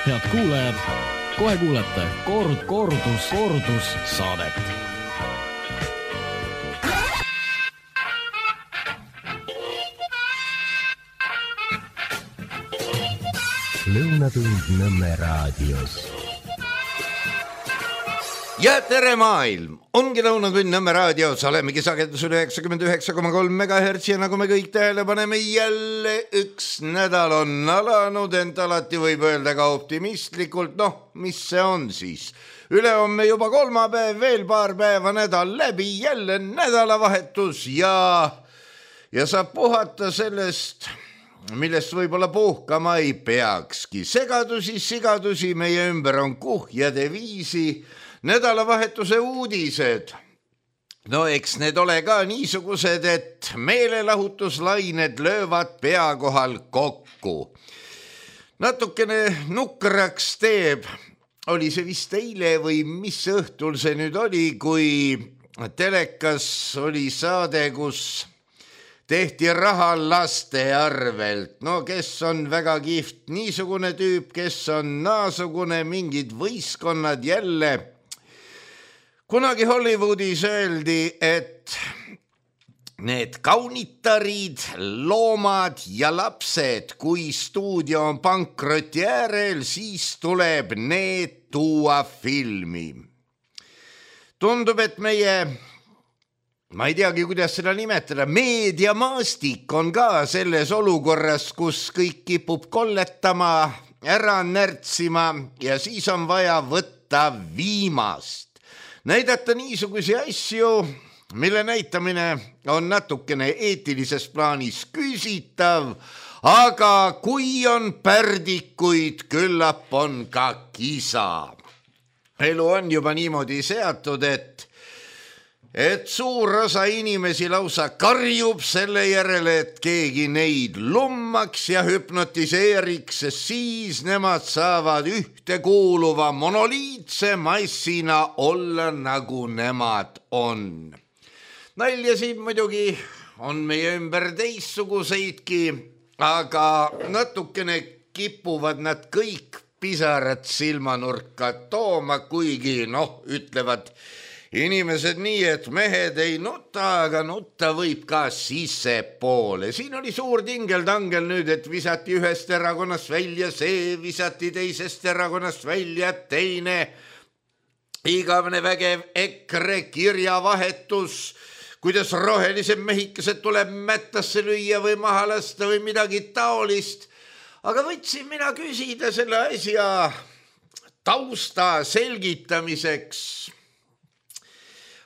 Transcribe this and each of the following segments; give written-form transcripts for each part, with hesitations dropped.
Head kuulajad, kohe kuulete kordus saadet. Lõunatund Nõmme raadios. Ja tere maailm! Ongi Lõunatund Nõmme raadios, olemegi sagedusel 99,3 MHz ja nagu me kõik tähele paneme, jälle üks nädal on alanud, ent alati võib öelda ka optimistlikult, mis see on siis? Ülehomme juba kolmapäev, veel paar päeva nädal läbi, jälle nädalavahetus ja saab puhata sellest, millest võib-olla puhkama ei peakski. Sigadusi meie ümber on kuhjade viisi, nädalavahetuse uudised. Eks need ole ka niisugused, et meelelahutuslained löövad pea kohal kokku. Natukene nukraks teeb, oli see vist eile või mis õhtul see nüüd oli, kui telekas oli saade, kus tehti raha laste arvelt. Kes on väga kihvt niisugune tüüp, kes on naasugune, mingid võistkonnad jälle. Kunagi Hollywoodis öeldi, et need kaunitarid, loomad ja lapsed, kui stuudio on pankroti äärel, siis tuleb need tuua filmi. Tundub, et meie, ma ei teagi, kuidas seda nimetada, meediamaastik on ka selles olukorras, kus kõik kipub kolletama, ära närtsima ja siis on vaja võtta viimast. Näidata niisugusi asju, mille näitamine on natukene eetilises plaanis küsitav, aga kui on pärdikuid, küllap on ka kisa. Elu on juba niimoodi seatud, et suur osa inimesi lausa karjub selle järele, et keegi neid lummaks ja hüpnotiseeriks, siis nemad saavad ühtekuuluva monoliitse massina olla, nagu nemad on. Naljasid muidugi on meie ümber teistsuguseidki, aga natukene kipuvad nad kõik pisarad silmanurka tooma, kuigi ütlevad inimesed nii, et mehed ei nuta, aga nutta võib ka sissepoole. Siin oli suur tingeldangel nüüd, et visati ühest erakonnast välja, see visati teisest erakonnast välja, teine igavene vägev EKRE kirjavahetus, kuidas rohelised mehikesed tuleb mättasse lüüa või maha lasta või midagi taolist. Aga võtsin mina küsida selle asja tausta selgitamiseks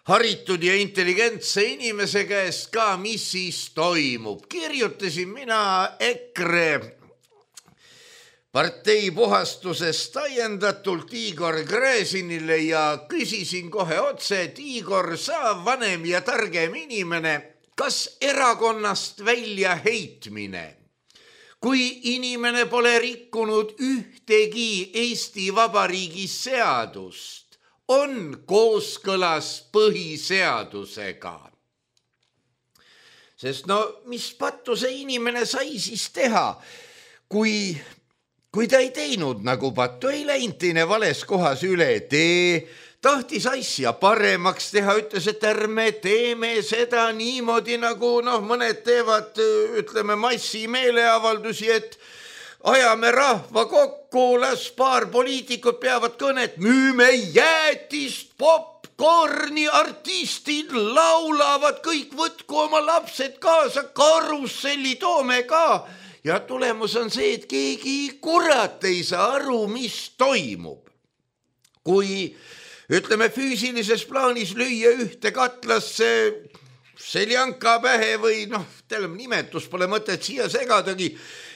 haritud ja intelligentse inimese käest ka, mis siis toimub. Kirjutasin mina EKRE partei puhastusest täiendatult Igor Gräzinile ja küsisin kohe otse, et Igor, sa vanem ja targem inimene, kas erakonnast välja heitmine, kui inimene pole rikkunud ühtegi Eesti Vabariigi seadust, on kooskõlas põhiseadusega. Sest mis pattu see inimene sai siis teha, kui ta ei teinud nagu pattu, ei läinud teine vales kohas üle tee, tahtis asja paremaks teha, ütles, et ärme teeme seda niimoodi, nagu mõned teevad, ütleme, massi meeleavaldusi, et ajame rahva kokku, las paar poliitikut peavad kõnet, müüme jäätist, popcorni, artistid laulavad, kõik võtku oma lapsed kaasa, karusselli toome ka. Ja tulemus on see, et keegi kurat ei saa aru, mis toimub. Kui, ütleme, füüsilises plaanis lüüa ühte katlasse seljanka pähe või nimetus pole mõtet siia segadagi,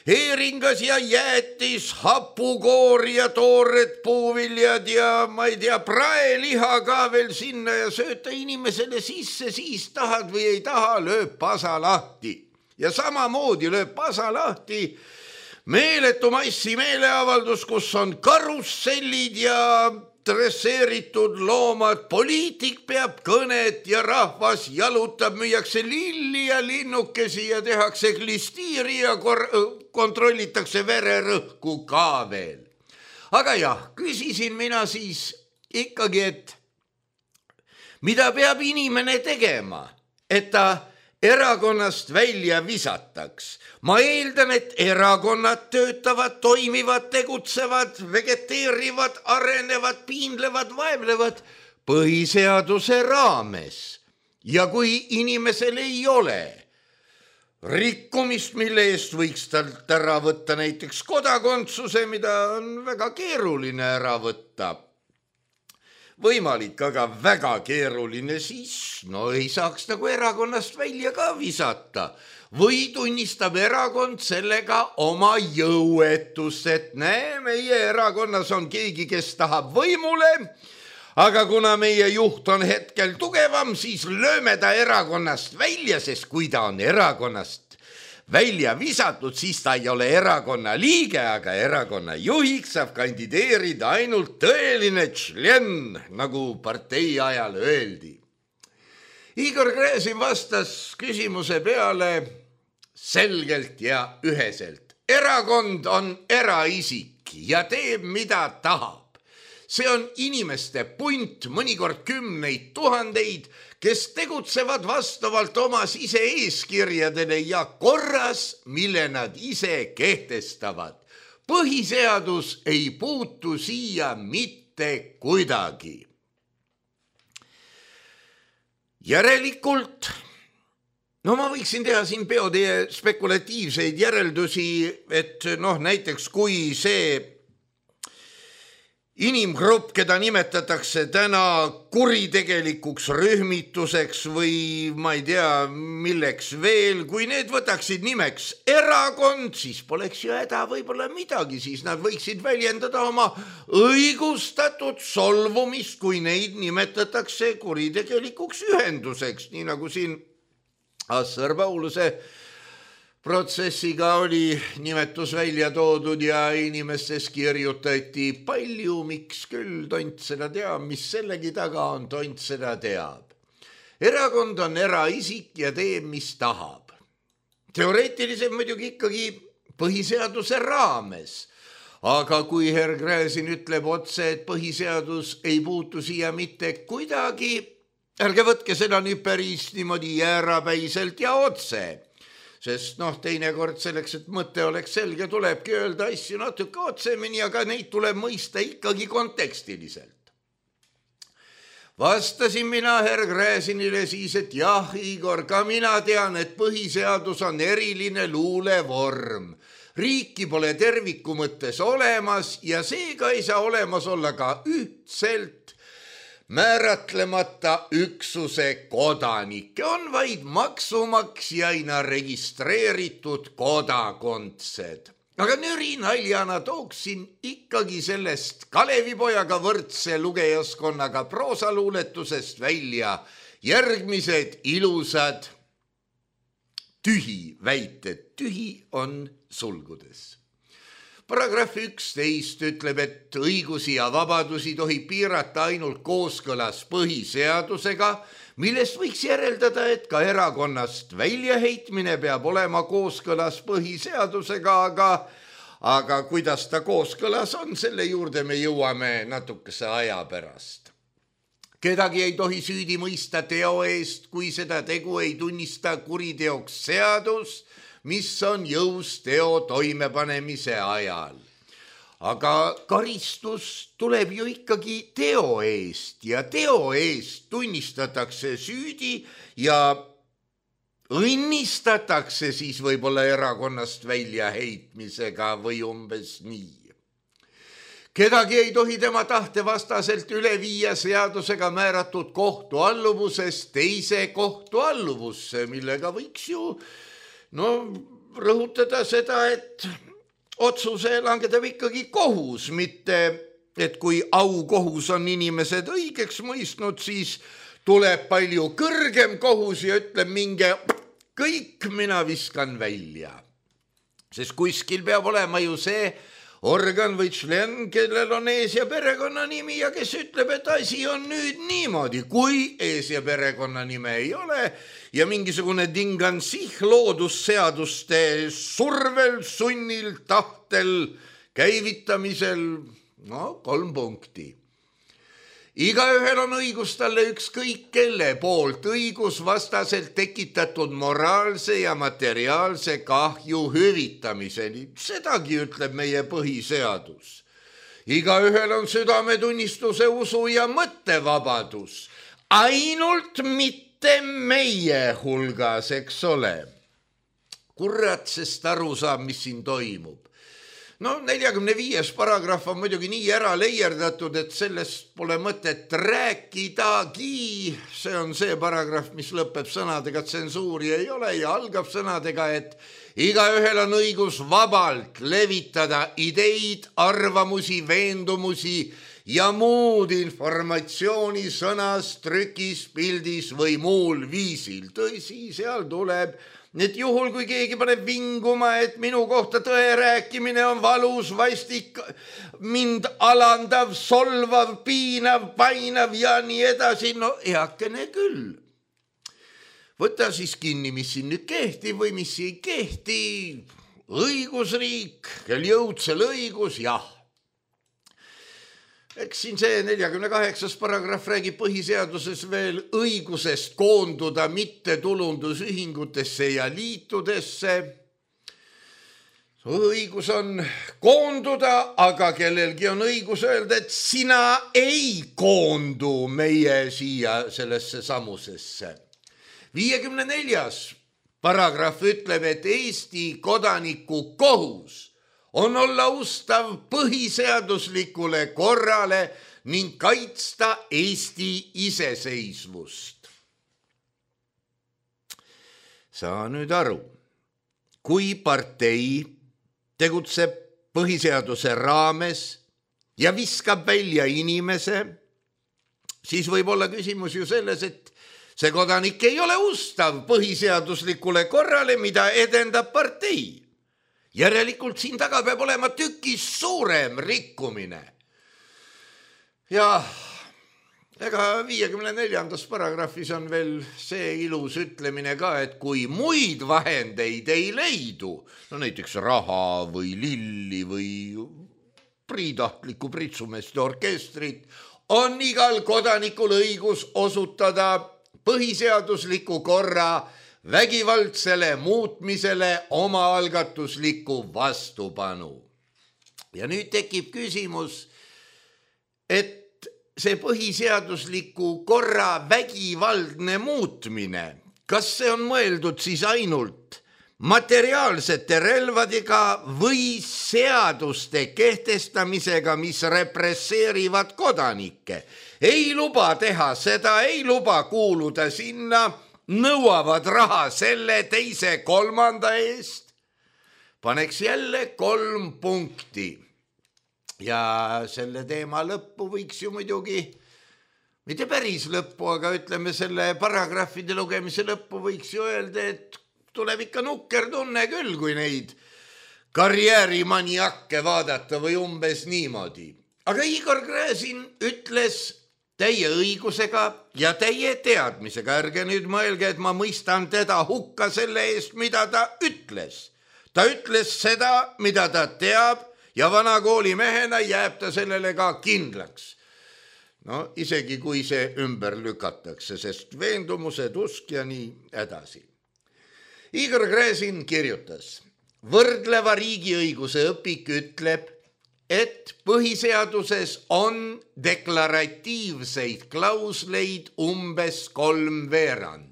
heeringas ja jäätis, hapukoor ja toored puuviljad ja ma ei tea, praeliha ka veel sinna ja sööta inimesele sisse, siis tahad või ei taha, lööb pasa lahti. Ja samamoodi lööb pasa lahti meeletu massi meeleavaldus, kus on karussellid ja dresseeritud loomad, poliitik peab kõnet ja rahvas jalutab, müüakse lilli ja linnukesi ja tehakse klistiiri ja kontrollitakse vererõhku ka veel. aga jah, küsisin mina siis ikkagi, et mida peab inimene tegema, et ta erakonnast välja visataks. Ma eeldan, et erakonnad töötavad, toimivad, tegutsevad, vegeteerivad, arenevad, piinlevad, vaevlevad põhiseaduse raames. Ja kui inimesel ei ole rikkumist, mille eest võiks talt ära võtta näiteks kodakondsuse, mida on väga keeruline ära võtta, võimalik, aga väga keeruline, siis ei saaks nagu erakonnast välja ka visata. Või tunnistab erakond sellega oma jõuetust, et meie erakonnas on keegi, kes tahab võimule, aga kuna meie juht on hetkel tugevam, siis lööme ta erakonnast välja, sest kui ta on erakonnast välja visatud, siis ta ei ole erakonna liige, aga erakonna juhiks saab kandideerida ainult tõeline tšlen, nagu partei ajal öeldi. Igor Gräzin vastas küsimuse peale selgelt ja üheselt. Erakond on eraisik ja teeb, mida tahab. See on inimeste punt, mõnikord 10 000, kes tegutsevad vastavalt oma sise-eeskirjadele ja korras, mille nad ise kehtestavad. Põhiseadus ei puutu siia mitte kuidagi. Järelikult, ma võiksin teha siin peoteie spekulatiivseid järeldusi, et näiteks kui see inimgrupp, keda nimetatakse täna kuritegelikuks rühmituseks või ma ei tea, milleks veel, kui need võtaksid nimeks erakond, siis poleks ju häda võib-olla midagi, siis nad võiksid väljendada oma õigustatud solvumist, kui neid nimetatakse kuritegelikuks ühenduseks, nii nagu siin Assar Pauluse protsessiga oli nimetus välja toodud ja inimestes kirjutati palju, miks küll, tont seda teab, mis sellegi taga on, tont seda teab. Erakond on eraisik ja teeb, mis tahab. Teoreetiliselt muidugi ikkagi põhiseaduse raames. Aga kui herr Gräzin ütleb otse, et põhiseadus ei puutu siia mitte kuidagi, ärge võtke seda nüüd päris niimoodi jäärapäiselt ja otse. Sest teinekord selleks, et mõte oleks selge, tulebki öelda asju natuke otsemini, aga neid tuleb mõista ikkagi kontekstiliselt. Vastasin mina herr Gräzinile siis, et jah, Igor, ka mina tean, et põhiseadus on eriline luulevorm. Riiki pole terviku mõttes olemas ja seega ei saa olemas olla ka ühtselt määratlemata üksuse kodanikke, on vaid maksumaksjaina registreeritud kodakondsed. Aga nüri naljana tooksin ikkagi sellest Kalevipojaga võrdse lugejaskonnaga proosaluuletusest välja järgmised ilusad tühi väited. Tühi on sulgudes. Paragrahv 11 ütleb, et õigusi ja vabadusi tohib piirata ainult kooskõlas põhiseadusega, millest võiks järeldada, et ka erakonnast väljaheitmine peab olema kooskõlas põhiseadusega, aga kuidas ta kooskõlas on, selle juurde me jõuame natukese aja pärast. Kedagi ei tohi süüdi mõista teo eest, kui seda tegu ei tunnista kuriteoks seadus, mis on jõus teo toimepanemise ajal. Aga karistus tuleb ju ikkagi teo eest ja teo eest tunnistatakse süüdi ja õnnistatakse siis võib-olla erakonnast väljaheitmisega või umbes nii. Kedagi ei tohi tema tahte vastaselt üle viia seadusega määratud kohtualluvusest teise kohtualluvusse, millega võiks ju rõhutada seda, et otsuse langetab ikkagi kohus, mitte et kui aukohus on inimesed õigeks mõistnud, siis tuleb palju kõrgem kohus ja ütleb minge kõik, mina viskan välja. Sest kuskil peab olema ju see organ või tšlen, kellel on ees- ja perekonnanimi ja kes ütleb, et asi on nüüd niimoodi, kui ees- ja perekonnanime ei ole ja mingisugune dingansih loodusseaduste survel, sunnil, tahtel, käivitamisel No 3 punkti. Igaühel on õigus talle ükskõik kelle poolt õigusvastaselt tekitatud moraalse ja materiaalse kahju hüvitamiseni. Sedagi ütleb meie põhiseadus. Igaühel on südametunnistuse, usu ja mõttevabadus. Ainult mitte meie hulgas, eks ole. Kurat, sest aru saab, mis siin toimub. No 45. paragrahv on muidugi nii ära leierdatud, et sellest pole mõtet rääkidagi. See on see paragrahv, mis lõpeb sõnadega, tsensuuri ei ole ja algab sõnadega, et igaühel on õigus vabalt levitada ideid, arvamusi, veendumusi ja muud informatsiooni sõnas, trükis, pildis või muul viisil. Tõsi, seal tuleb, et juhul, kui keegi paneb vinguma, et minu kohta tõe rääkimine on valus, vastik, mind alandav, solvav, piinav, painav ja nii edasi, no heakene küll. Võta siis kinni, mis siin nüüd kehtib või mis ei kehti. Õigusriik, kel jõudsel õigus, jah. Eks siin see 48. paragrahv räägib põhiseaduses veel õigusest koonduda mittetulundusühingutesse ja liitudesse. Õigus on koonduda, aga kellelgi on õigus öelda, et sina ei koondu meie siia sellesse samusesse. 54. paragrahv ütleb, et Eesti kodaniku kohus on olla ustav põhiseaduslikule korrale ning kaitsta Eesti iseseisvust. Saa nüüd aru, kui partei tegutseb põhiseaduse raames ja viskab välja inimese, siis võib olla küsimus ju selles, et see kodanik ei ole ustav põhiseaduslikule korrale, mida edendab partei. Järelikult siin taga peab olema tükis suurem rikkumine. Ja ega 54. paragrahvis on veel see ilus ütlemine ka, et kui muid vahendeid ei leidu, no näiteks raha või lilli või priitahtlikku pritsumeeste orkestrit, on igal kodanikul õigus osutada põhiseadusliku korra vägivaldsele muutmisele omaalgatuslikku vastupanu. Ja nüüd tekib küsimus, et see põhiseadusliku korra vägivaldne muutmine, kas see on mõeldud siis ainult materiaalsete relvadega või seaduste kehtestamisega, mis represseerivad kodanikke? Ei luba teha seda, ei luba kuuluda sinna, nõuavad raha selle, teise, kolmanda eest. Paneks jälle 3 punkti. Ja selle teema lõppu võiks ju muidugi, mitte päris lõppu, aga ütleme selle paragrahvide lugemise lõppu võiks ju öelda, et tuleb ikka nukker tunne küll, kui neid karjäärimaniakke vaadata või umbes niimoodi. Aga Igor Gräzin ütles täie õigusega ja täie teadmisega. Ärge nüüd mõelge, et ma mõistan teda hukka selle eest, mida ta ütles. Ta ütles seda, mida ta teab ja vana koolimehena jääb ta sellele ka kindlaks. No isegi kui see ümber lükatakse, sest veendumused, usk ja nii edasi. Igor Gräzin kirjutas, võrdleva riigiõiguse õpik ütleb, et põhiseaduses on deklaratiivseid klausleid umbes 3/4.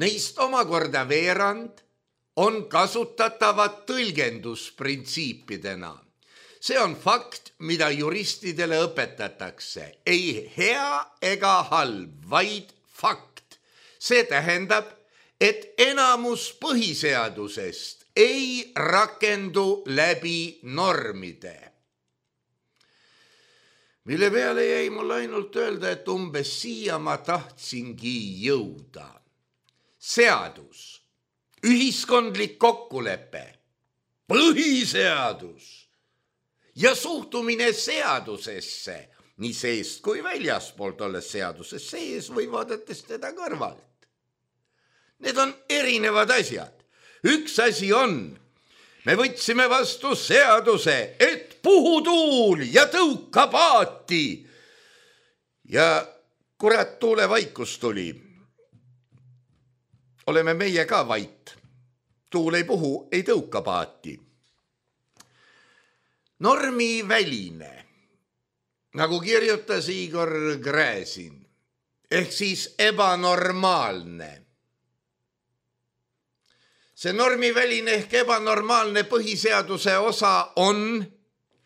Neist omakorda veerand on kasutatavad tõlgendusprintsiipidena. See on fakt, mida juristidele õpetatakse. Ei hea ega halb, vaid fakt. See tähendab, et enamus põhiseadusest ei rakendu läbi normide. Mille peale jäi mul ainult öelda, et umbes siia ma tahtsingi jõuda. Seadus, ühiskondlik kokkulepe, põhiseadus ja suhtumine seadusesse, nii seest kui väljaspoolt olles seaduses sees või vaadates teda kõrvalt. Need on erinevad asjad. Üks asi on, me võtsime vastu seaduse, et puhutuul ja tõuka paati. Ja kurat tuule vaikus tuli. Oleme meie ka vait. Tuul ei puhu, ei tõuka paati. Normi väline, nagu kirjutas Igor Gräzin, ehk siis ebanormaalne. See normiväline ehk ebanormaalne põhiseaduse osa on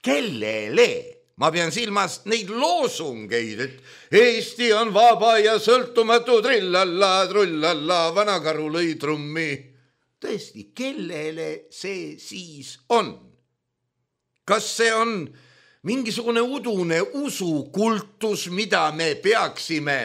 kellele? Ma pean silmas neid loosungeid, et Eesti on vaba ja sõltumatu, trillalla, trullalla, vanakaru lõi trummi. Tõesti, kellele see siis on? Kas see on mingisugune udune usukultus, mida me peaksime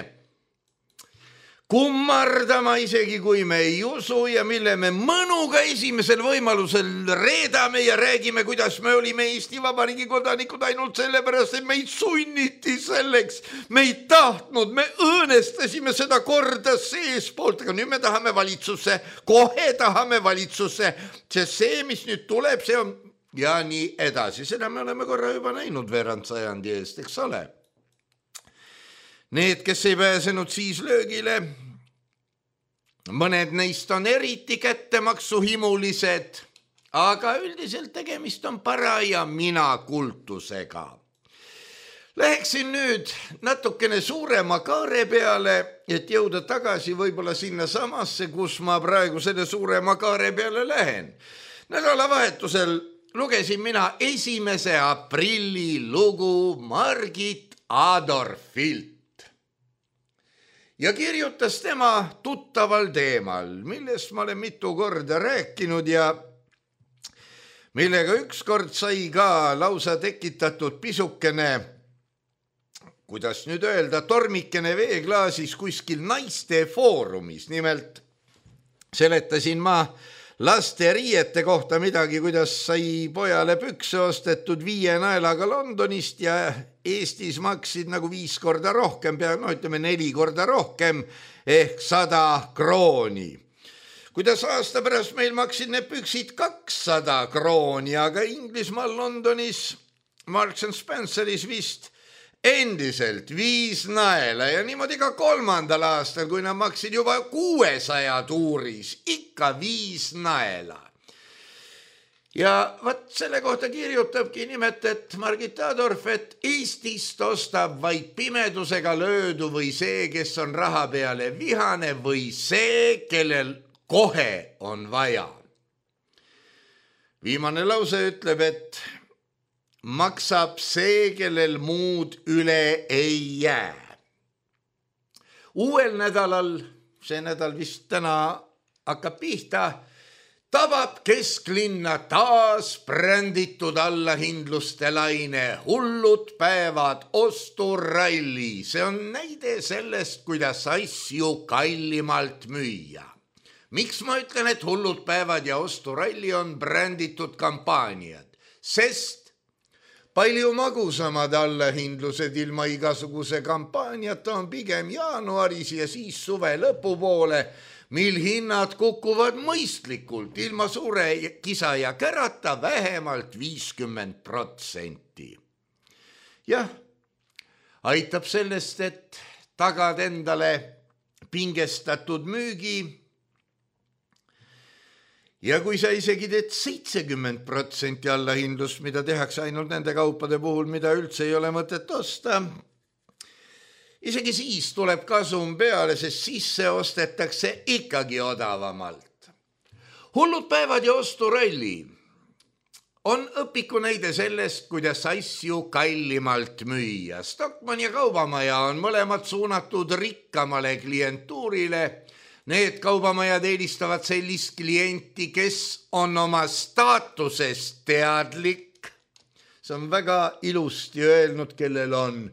kummardama, isegi kui me ei usu ja mille me mõnuga esimesel võimalusel reedame ja räägime, kuidas me olime Eesti Vabariigi kodanikud ainult sellepärast, et meid sunniti selleks. Me ei tahtnud, me õõnestasime seda korda seespoolt, aga nüüd me tahame valitsusse, kohe tahame valitsusse, sest see, mis nüüd tuleb, see on ja nii edasi. Seda me oleme korra juba näinud veerand sajandi eest, eks ole. Need, kes ei pääsenud siis löögile, mõned neist on eriti kättemaksuhimulised, aga üldiselt tegemist on paraja mina-kultusega. Läheksin nüüd natukene suurema kaare peale, et jõuda tagasi võib-olla sinna samasse, kus ma praegu selle suurema kaare peale lähen. Nädalavahetusel lugesin mina 1. aprilli lugu Margit Adorfilt. Ja kirjutas tema tuttaval teemal, millest ma olen mitu korda rääkinud ja millega ükskord sai ka lausa tekitatud pisukene, kuidas nüüd öelda, tormikene veeklaasis kuskil naiste foorumis. Nimelt seletasin ma laste riiete kohta midagi, kuidas sai pojale pükse ostetud 5 naelaga Londonist ja Eestis maksid nagu 5 korda rohkem, ütleme 4 korda rohkem ehk 100 krooni. Kuidas aasta pärast meil maksid need püksid 200 krooni, aga Inglismaal Londonis Marks & Spenceris vist endiselt 5 naela ja niimoodi ka 3. aastal, kui nad maksid juba 600 tuuris, ikka 5 naela. Ja vat selle kohta kirjutabki nimelt, et Margit Adorf, et Eestist ostab vaid pimedusega löödu või see, kes on raha peale vihane või see, kellel kohe on vaja. Viimane lause ütleb, et maksab see, kellel muud üle ei jää. Uuel nädalal, see nädal vist täna hakkab pihta, tabab kesklinna taas bränditud allahindluste laine, hullud päevad, osturalli. See on näide sellest, kuidas asju kallimalt müüa. Miks ma ütlen, et hullud päevad ja osturalli on bränditud kampaaniad? Sest palju magusamad allahindlused ilma igasuguse kampaaniata on pigem jaanuaris ja siis suve lõpupoole, mil hinnad kukuvad mõistlikult, ilma suure kisa ja kärata vähemalt 50%. Jah, aitab sellest, et tagad endale pingestatud müügi ja kui sa isegi teed 70% allahindlust, mida tehakse ainult nende kaupade puhul, mida üldse ei ole mõtet osta, isegi siis tuleb kasum peale, sest sisse ostetakse ikkagi odavamalt. Hullud päevad ja osturalli on õpiku näide sellest, kuidas asju kallimalt müüa. Stockmann ja Kaubamaja on mõlemad suunatud rikkamale klientuurile. Need kaubamajad eelistavad sellist klienti, kes on oma staatusest teadlik. See on väga ilusti öelnud, kellel on.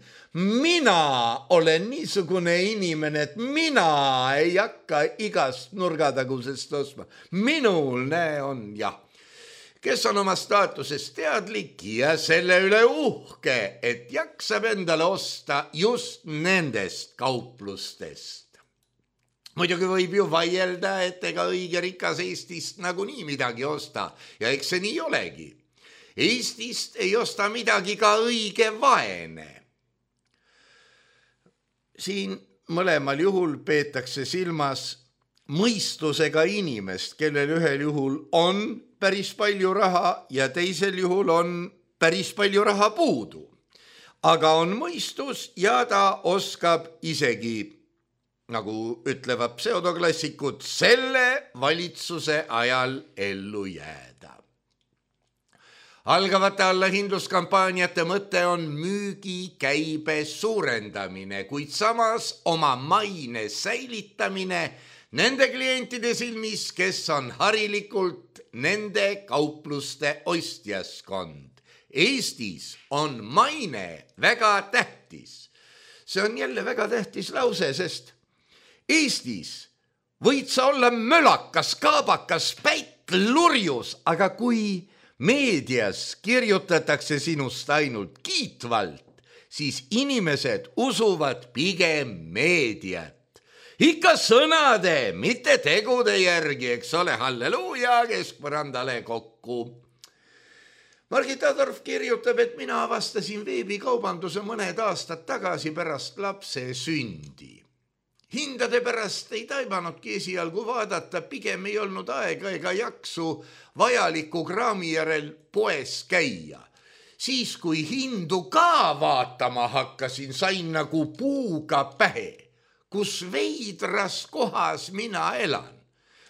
Mina olen niisugune inimene, et mina ei hakka igast nurgatagusest ostma. Minul on jah. Kes on oma staatusest teadlik ja selle üle uhke, et jaksab endale osta just nendest kauplustest. Muidugi võib ju vaielda, et ega õige rikas Eestist nagunii midagi osta ja eks see nii olegi. Eestist ei osta midagi ka õige vaene. Siin mõlemal juhul peetakse silmas mõistusega inimest, kellel ühel juhul on päris palju raha ja teisel juhul on päris palju raha puudu. Aga on mõistus ja ta oskab isegi, nagu ütlevad pseudoklassikud, selle valitsuse ajal ellu jääda. Algavate allahindluskampaaniate mõte on müügikäibe suurendamine, kuid samas oma maine säilitamine nende klientide silmis, kes on harilikult nende kaupluste ostjaskond. Eestis on maine väga tähtis. See on jälle väga tähtis lause, sest Eestis võid sa olla mölakas, kaabakas, päitlurjus, aga kui meedias kirjutatakse sinust ainult kiitvalt, siis inimesed usuvad pigem meediat. Ikka sõnade, mitte tegude järgi, eks ole, halleluuja, keskpõrandale kokku. Margit Adorf kirjutab, et mina avastasin veebikaubanduse mõned aastad tagasi pärast lapse sündi. Hindade pärast ei taibanudki esialgu vaadata, pigem ei olnud aega ega jaksu vajaliku kraami järel poes käia. Siis, kui hindu ka vaatama hakkasin, sain nagu puuga pähe, kus veidras kohas mina elan.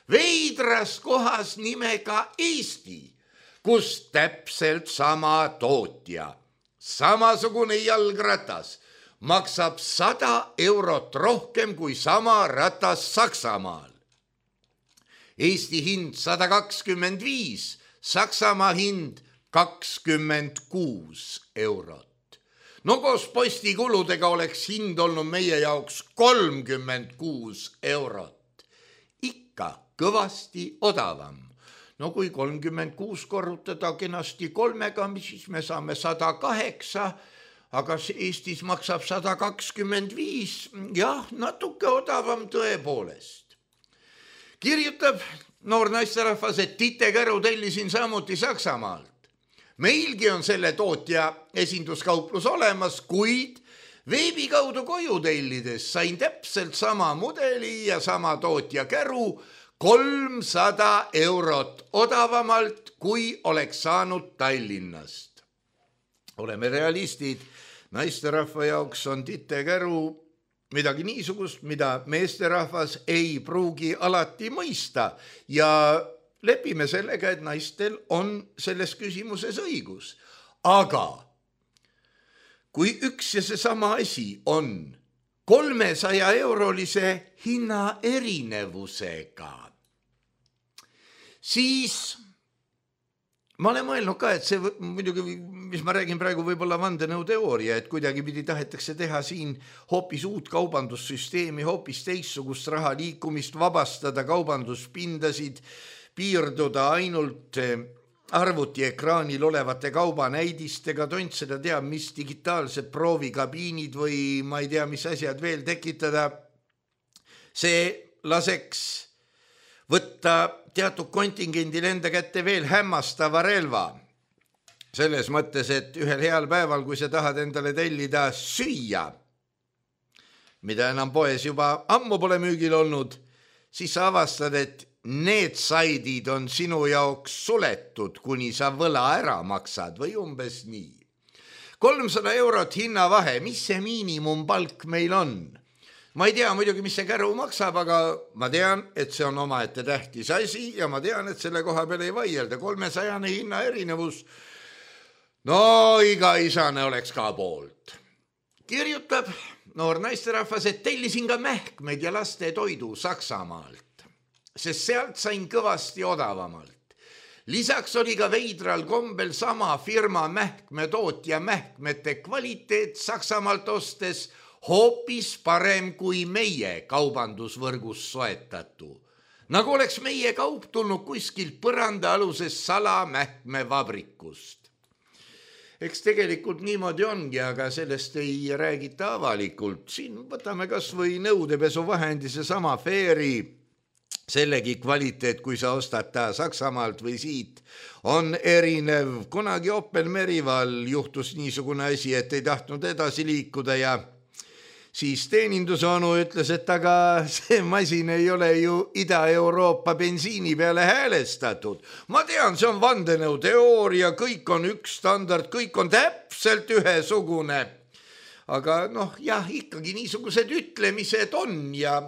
Veidras kohas nimega Eesti, kus täpselt sama tootja, samasugune jalgratas, maksab 100 eurot rohkem kui sama ratas Saksamaal. Eesti hind 125, Saksamaa hind 26 eurot. No koos postikuludega oleks hind olnud meie jaoks 36 eurot. Ikka kõvasti odavam. No kui 36 korrutada kenasti 3-ga, siis me saame 108, aga Eestis maksab 125, jah, natuke odavam tõepoolest. Kirjutab noor naisterahvas, et Titte Käru tellisin samuti Saksamaalt. Meilgi on selle tootja esinduskauplus olemas, kuid veebi kaudu koju tellides sain täpselt sama mudeli ja sama tootja Käru 300 eurot odavamalt, kui oleks saanud Tallinnast. Oleme realistid, naisterahva jaoks on Titte Käru midagi niisugust, mida meesterahvas ei pruugi alati mõista ja lepime sellega, et naistel on selles küsimuses õigus. Aga kui üks ja seesama asi on 300 eurolise hinna erinevusega, siis ma olen mõelnud ka, et see muidugi, mis ma räägin praegu, võib-olla vandenõuteooria, et kuidagi pidi tahetakse teha siin hoopis uut kaubandussüsteemi, hoopis teissugust raha liikumist, vabastada kaubanduspindasid, piirduda ainult arvutiekraanil olevate kaubanäidistega, tont seda teab, mis digitaalsed proovikabiinid või ma ei tea, mis asjad veel tekitada. See laseks võtta teatud kontingendil enda kätte veel hämmastava relva. Selles mõttes, et ühel heal päeval, kui sa tahad endale tellida süüa, mida enam poes juba ammu pole müügil olnud, siis sa avastad, et need saidid on sinu jaoks suletud, kuni sa võla ära maksad või umbes nii. 300 eurot hinnavahe, mis see miinimumpalk meil on? Ma ei tea muidugi, mis see Käru maksab, aga ma tean, et see on omaette tähtis asi ja ma tean, et selle koha peale ei vaielda. 300 hinna erinevus, no iga isane oleks ka poolt. Kirjutab noor naisterahvas, et tellisin ka mähkmed ja laste toidu Saksamaalt, sest sealt sain kõvasti odavamalt. Lisaks oli ka veidral kombel sama firma mähkmetootja mähkmete kvaliteet Saksamaalt ostes hoopis parem kui meie kaubandusvõrgus soetatu. Nagu oleks meie kaup tulnud kuskilt põrandaaluses salamähkmevabrikust. Eks tegelikult niimoodi ongi, aga sellest ei räägita avalikult. Siin võtame kas või nõudepesuvahendi seesama Fairy sellegi kvaliteet, kui sa ostad ta Saksamaalt või siit, on erinev. Kunagi Opel Merival juhtus niisugune asi, et ei tahtnud edasi liikuda ja siis teenindusonu ütles, et aga see masin ei ole ju Ida-Euroopa bensiini peale häälestatud. Ma tean, see on vandenõuteooria, kõik on üks standard, kõik on täpselt ühesugune. Aga jah, ikkagi niisugused ütlemised on ja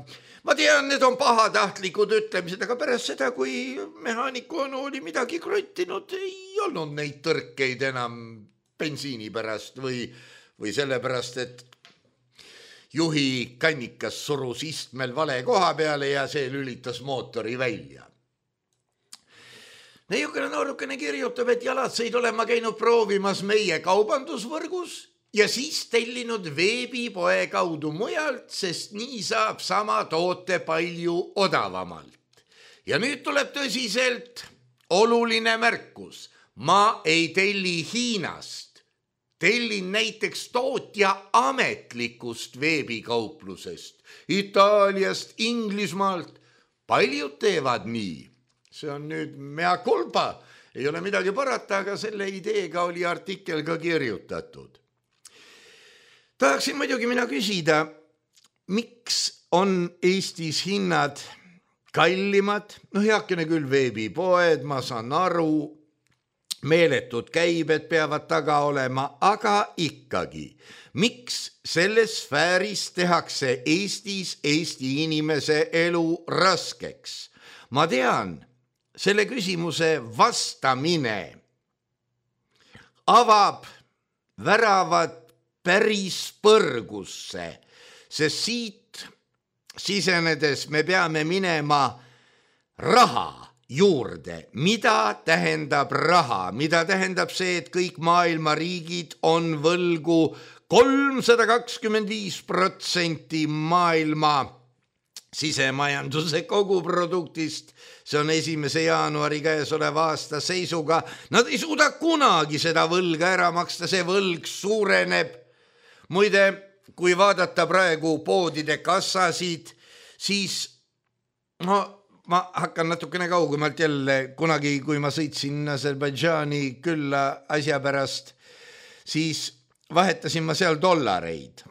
ma tean, need on pahatahtlikud ütlemised, aga pärast seda, kui mehaaniku onu oli midagi kruttinud, ei olnud neid tõrkeid enam bensiini pärast või sellepärast, et juhi kannikas surus istmel vale koha peale ja see lülitas mootori välja. Niisugune noorukene kirjutab, et jalatseid olema käinud proovimas meie kaubandusvõrgus ja siis tellinud veebipoe kaudu mujalt, sest nii saab sama toote palju odavamalt. Ja nüüd tuleb tõsiselt oluline märkus. Ma ei telli Hiinast. Tellin näiteks tootja ametlikust veebikauplusest, Itaaliast, Inglismaalt. Paljud teevad nii. See on nüüd mea culpa. Ei ole midagi parata, aga selle ideega oli artikkel ka kirjutatud. Tahaksin muidugi mina küsida, miks on Eestis hinnad kallimad? Heakene küll veebipoed, ma saan aru, meeletud käibed peavad taga olema, aga ikkagi, miks selles sfääris tehakse Eestis Eesti inimese elu raskeks? Ma tean, selle küsimuse vastamine avab väravad päris põrgusse, sest siit sisenedes me peame minema raha juurde. Mida tähendab raha? Mida tähendab see, et kõik maailma riigid on võlgu 325% maailma sisemajanduse koguproduktist? See on 1. jaanuari käesoleva aasta seisuga. Nad ei suuda kunagi seda võlga ära maksta, see võlg suureneb. Muide, kui vaadata praegu poodide kassasid, siis ma hakkan natukene kaugemalt jälle, kunagi kui ma sõitsin Aserbaidžaani külla asja pärast, siis vahetasin ma seal dollareid.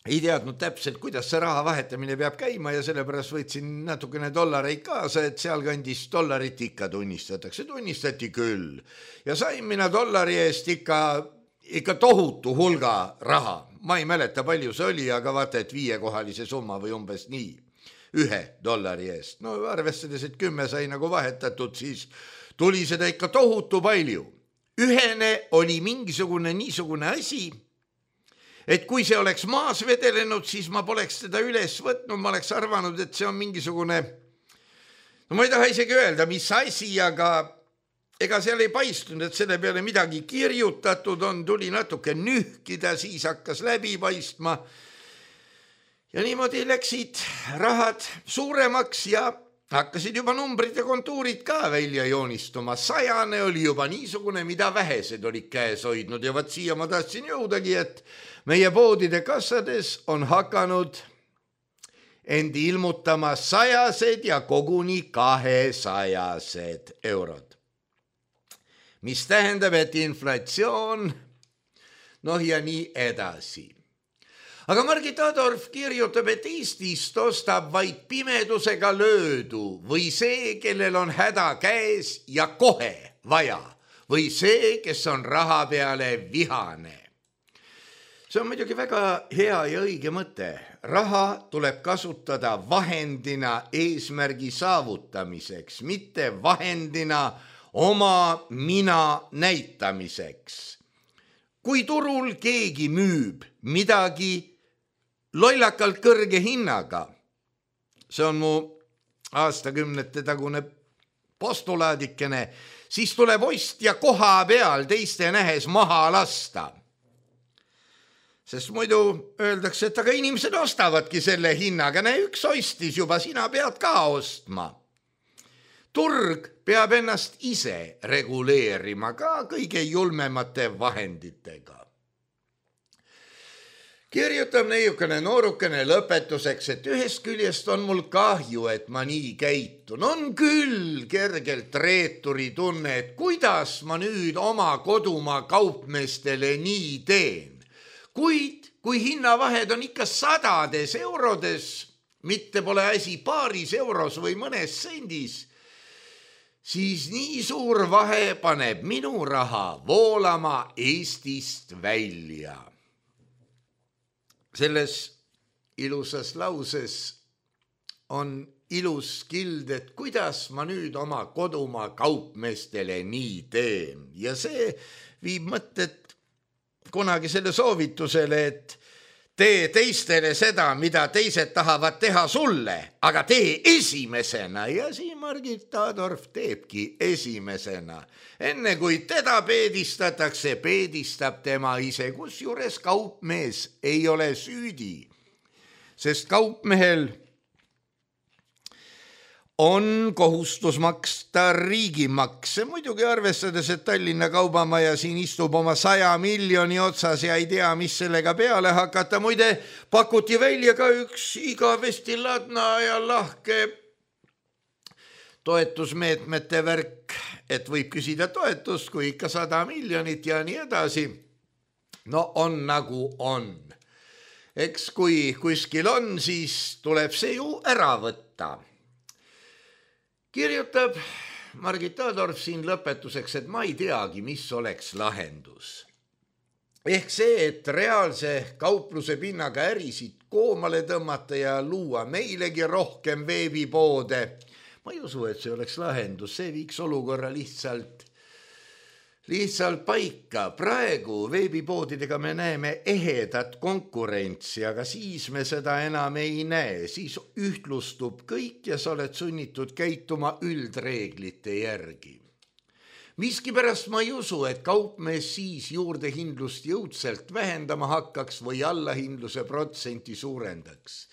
Ei teadnud täpselt, kuidas see raha vahetamine peab käima ja sellepärast võtsin natukene dollareid kaasa, et seal kandis dollarit ikka tunnistatakse. Tunnistati küll. Ja sain mina dollari eest ikka tohutu hulga raha. Ma ei mäleta, palju see oli, aga vaata, et 5-kohalise summa või umbes nii. $1 eest. Arvestades, et 10 sai nagu vahetatud, siis tuli seda ikka tohutu palju. Ühene oli mingisugune niisugune asi, et kui see oleks maas vedelenud, siis ma poleks teda üles võtnud, ma oleks arvanud, et see on mingisugune, ma ei taha isegi öelda, mis asi, aga ega seal ei paistunud, et selle peale midagi kirjutatud on, tuli natuke nühkida, siis hakkas läbi paistma. Ja niimoodi läksid rahad suuremaks ja hakkasid juba numbrid ja kontuurid ka välja joonistuma. 100 oli juba niisugune, mida vähesed olid käes hoidnud ja vaat siia ma tahtsin jõudagi, et meie poodide kassades on hakanud end ilmutama 100 ja koguni 200 eurod. Mis tähendab, et inflatsioon, ja nii edasi. Aga Margit Adorf kirjutab, et Eestist ostab vaid pimedusega löödu või see, kellel on häda käes ja kohe vaja või see, kes on raha peale vihane. See on muidugi väga hea ja õige mõte. Raha tuleb kasutada vahendina eesmärgi saavutamiseks, mitte vahendina oma mina näitamiseks. Kui turul keegi müüb midagi lollakalt kõrge hinnaga, see on mu aastakümnete tagune postulaadikene, siis tuleb ostja koha peal teiste nähes maha lasta. Sest muidu öeldakse, et aga inimesed ostavadki selle hinnaga, üks ostis juba, sina pead ka ostma. Turg peab ennast ise reguleerima ka kõige julmemate vahenditega. Kirjutab neiukene noorukene lõpetuseks, et ühest küljest on mul kahju, et ma nii käitun. On küll kergelt reeturi tunne, et kuidas ma nüüd oma kodumaa kaupmeestele nii teen. Kuid kui hinnavahed on ikka 100 eurodes, mitte pole asi paaris euros või mõnes sendis, siis nii suur vahe paneb minu raha voolama Eestist välja. Selles ilusas lauses on ilus kild, et kuidas ma nüüd oma kodumaa kaupmeestele nii teen. Ja see viib mõtted kunagi selle soovitusele, et tee teistele seda, mida teised tahavad teha sulle, aga tee esimesena. Ja siin Margit Taadorf teebki esimesena. Enne kui teda peedistatakse, peedistab tema ise, kusjuures kaupmees ei ole süüdi. Sest kaupmehel on kohustus maksta riigimakse, muidugi arvestades, et Tallinna Kaubamaja siin istub oma 100 miljoni otsas ja ei tea, mis sellega peale hakata. Muide, pakuti välja ka üks igavesti ladna ja lahke toetusmeetmete värk, et võib küsida toetust, kui ikka 100 miljonit ja nii edasi. No on nagu on. Eks kui kuskil on, siis tuleb see ju ära võtta. Kirjutab Margit Taadorf siin lõpetuseks, et ma ei teagi, mis oleks lahendus. Ehk see, et reaalse kaupluse pinnaga ärisid koomale tõmmata ja luua meilegi rohkem veebipoode. Ma ei usu, et see oleks lahendus, see viiks olukorra lihtsalt paika. Praegu veebipoodidega me näeme ehedat konkurentsi, aga siis me seda enam ei näe. Siis ühtlustub kõik ja sa oled sunnitud käituma üldreeglite järgi. Miskipärast ma ei usu, et kaupmees siis juurdehindlust jõudselt vähendama hakkaks või allahindluse protsenti suurendaks.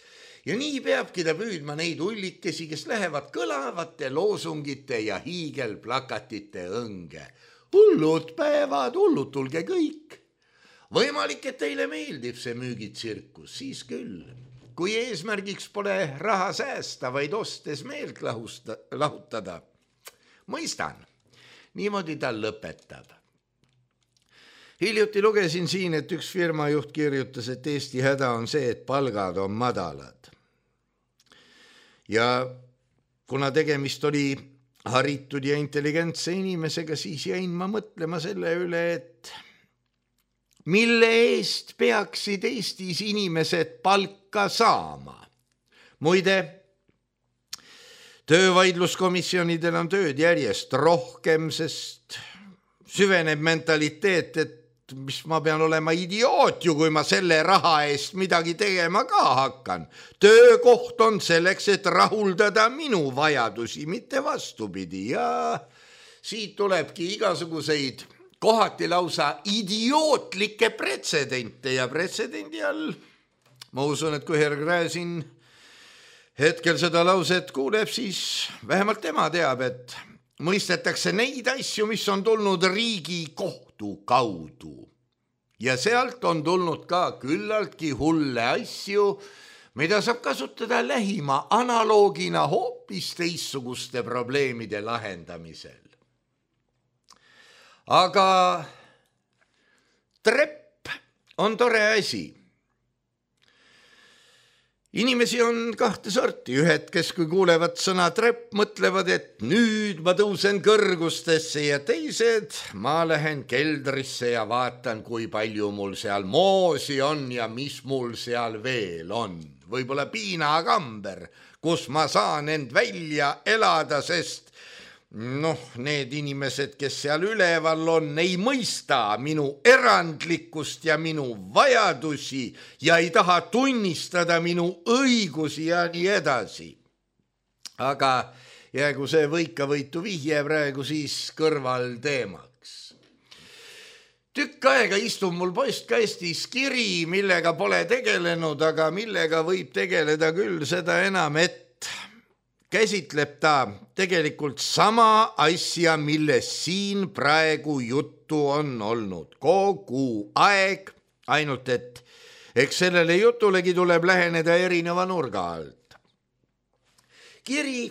Ja nii peabki ta püüdma neid ullikesi, kes lähevad kõlavate loosungite ja hiigelplakatite õnge. Hullud päevad, hullud, tulge kõik. Võimalik, et teile meeldib see müügitsirkus, siis küll. Kui eesmärgiks pole raha säästa, vaid ostes meelt lahutada. Mõistan, niimoodi ta lõpetab. Hiljuti lugesin siin, et üks firmajuht kirjutas, et Eesti häda on see, et palgad on madalad. Ja kuna tegemist oli haritud ja intelligentse inimesega, siis jäin ma mõtlema selle üle, et mille eest peaksid Eestis inimesed palka saama. Muide, töövaidluskomisjonidel on tööd järjest rohkem, sest süveneb mentaliteet, et mis ma pean olema idioot ju, kui ma selle raha eest midagi tegema ka hakkan. Töökoht on selleks, et rahuldada minu vajadusi, mitte vastupidi. Ja siit tulebki igasuguseid kohati lausa idiootlikke pretsedente ja pretsedendi all. Ma usun, et kui Herr Gräzin hetkel seda lauset kuuleb, siis vähemalt tema teab, et mõistetakse neid asju, mis on tulnud riigi kohtu kaudu. Ja sealt on tulnud ka küllaltki hulle asju, mida saab kasutada lähima analoogina hoopis teistsuguste probleemide lahendamisel. Aga trepp on tore asi. Inimesi on kahte sorti, ühed, kes kui kuulevad sõna trepp, mõtlevad, et nüüd ma tõusen kõrgustesse ja teised, ma lähen keldrisse ja vaatan, kui palju mul seal moosi on ja mis mul seal veel on. Võib-olla piinakamber, kus ma saan end välja elada, sest need inimesed, kes seal üleval on, ei mõista minu erandlikkust ja minu vajadusi ja ei taha tunnistada minu õigusi ja nii edasi. Aga jäägu see võikavõitu vihje praegu siis kõrval teemaks. Tükk aega istub mul postkastis kiri, millega pole tegelenud, aga millega võib tegeleda küll, seda enam, et käsitleb ta tegelikult sama asja, millest siin praegu juttu on olnud kogu aeg, ainult et eks sellele jutulegi tuleb läheneda erineva nurga alt. Kiri,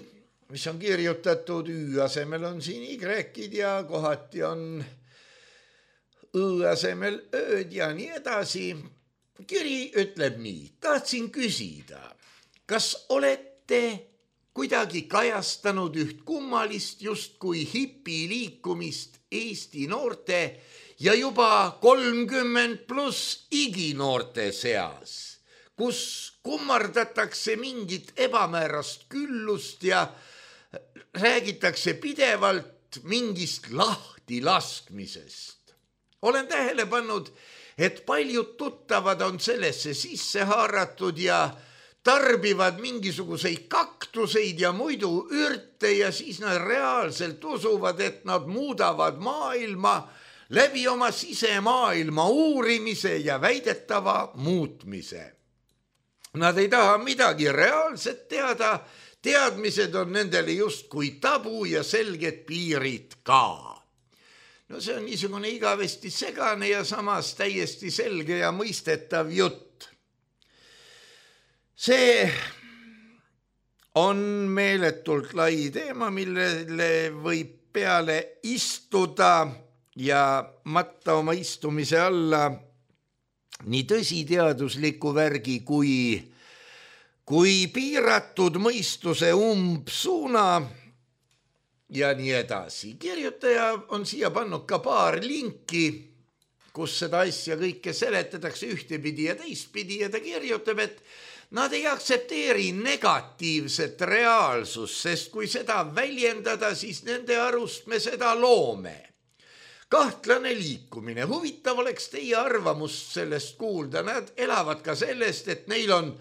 mis on kirjutatud Ü asemel, on siin Y-id ja kohati on Õ asemel Ööd ja nii edasi. Kiri ütleb nii: tahtsin küsida, kas olete kuidagi kajastanud üht kummalist justkui hipiliikumist Eesti noorte ja juba 30+ iginoorte seas, kus kummardatakse mingit ebamäärast küllust ja räägitakse pidevalt mingist lahtilaskmisest. Olen tähele pannud, et paljud tuttavad on sellesse sisse haaratud ja tarbivad mingisuguseid kaktuseid ja muidu ürte ja siis nad reaalselt usuvad, et nad muudavad maailma läbi oma sisemaailma uurimise ja väidetava muutmise. Nad ei taha midagi reaalset teada, teadmised on nendele justkui tabu ja selged piirid ka. No see on niisugune igavesti segane ja samas täiesti selge ja mõistetav jutt. See on meeletult lai teema, millele võib peale istuda ja matta oma istumise alla nii tõsiteadusliku värgi kui piiratud mõistuse umbsuuna ja nii edasi. Kirjutaja on siia pannud ka paar linki, kus seda asja kõike seletatakse ühtepidi ja teistpidi ja ta kirjutab, et nad ei aktsepteeri negatiivset reaalsust, sest kui seda väljendada, siis nende arust me seda loome. Kahtlane liikumine. Huvitav oleks teie arvamust sellest kuulda. Nad elavad ka sellest, et neil on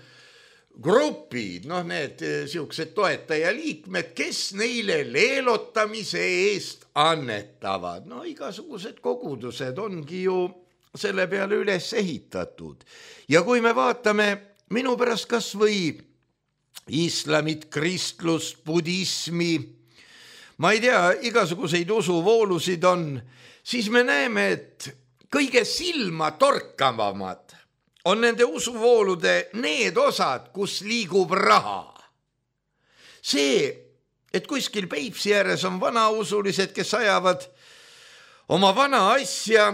grupid, need siuksed toetajaliikmed, kes neile leelotamise eest annetavad. Igasugused kogudused ongi ju selle peale üles ehitatud. Ja kui me vaatame minu pärast kas või islamit, kristlust, budismi, ma ei tea, igasuguseid usuvoolusid on, siis me näeme, et kõige silma torkavamad on nende usuvoolude need osad, kus liigub raha. See, et kuskil Peipsi ääres on vanausulised, kes ajavad oma vana asja,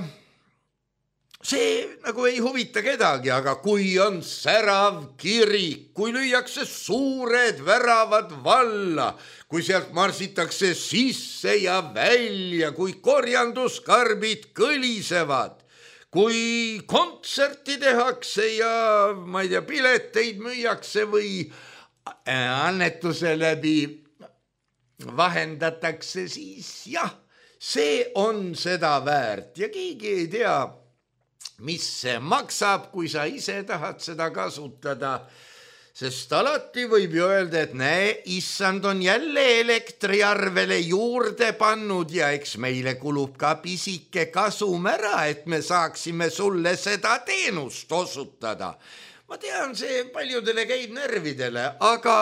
see nagu ei huvita kedagi, aga kui on särav kirik, kui lüüakse suured väravad valla, kui sealt marsitakse sisse ja välja, kui korjanduskarbid kõlisevad, kui kontserti tehakse ja ma ei tea, pileteid müüakse või annetuse läbi vahendatakse, siis jah, see on seda väärt ja keegi ei tea, mis see maksab, kui sa ise tahad seda kasutada, sest alati võib ju öelda, et näe, issand on jälle elektriarvele juurde pannud ja eks meile kulub ka pisike kasum ära, et me saaksime sulle seda teenust osutada. Ma tean, see paljudele käib närvidele, aga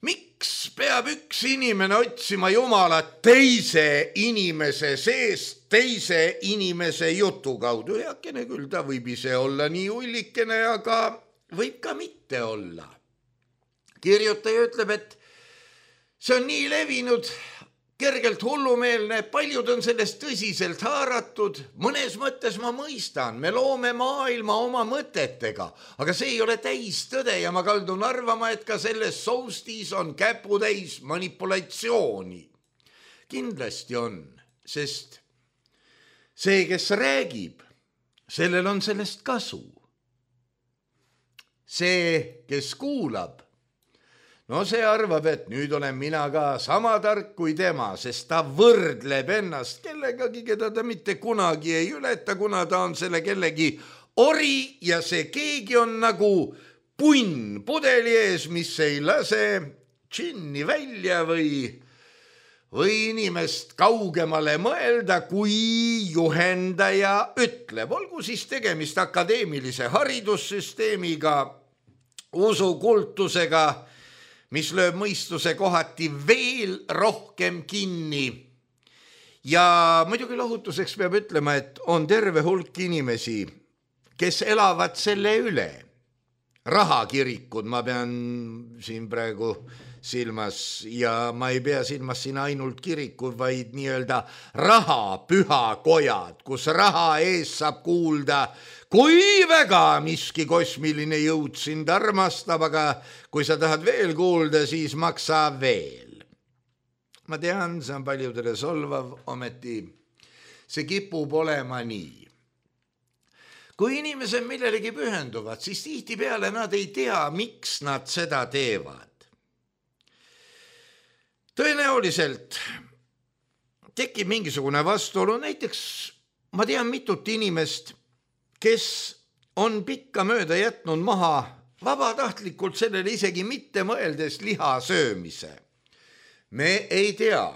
miks peab üks inimene otsima Jumalat teise inimese seest, teise inimese jutu kaudu? Heakene küll, ta võib ise olla nii ullikene, aga võib ka mitte olla. Kirjutaja ütleb, et see on nii levinud, kergelt hullumeelne, paljud on sellest tõsiselt haaratud, mõnes mõttes ma mõistan, me loome maailma oma mõtetega, aga see ei ole täistõde ja ma kaldun arvama, et ka selles soustis on käputäis manipulatsiooni. Kindlasti on, sest see, kes räägib, sellel on sellest kasu. See, kes kuulab, see arvab, et nüüd olen mina ka sama tark kui tema, sest ta võrdleb ennast kellegagi, keda ta mitte kunagi ei ületa, kuna ta on selle kellegi ori ja see keegi on nagu punn pudeli ees, mis ei lase džinni välja või inimest kaugemale mõelda, kui juhendaja ütleb. Olgu siis tegemist akadeemilise haridussüsteemiga, usukultusega, mis lööb mõistuse kohati veel rohkem kinni. Ja muidugi lohutuseks peab ütlema, et on terve hulk inimesi, kes elavad selle üle. Rahakirikud ma pean siin praegu silmas ja ma ei pea silmas siin ainult kirikud, vaid nii-öelda rahapühakojad, kus raha ees saab kuulda, kui väga miski kosmiline jõud sind armastab, aga kui sa tahad veel kuulda, siis maksa veel. Ma tean, see on paljudele solvav, ometi see kipub olema nii. Kui inimesed millelegi pühenduvad, siis tihtipeale nad ei tea, miks nad seda teevad. Tõenäoliselt tekib mingisugune vastuolu, näiteks ma tean mitut inimest, kes on pikka mööda jätnud maha vabatahtlikult sellele isegi mitte mõeldes liha söömise. Me ei tea,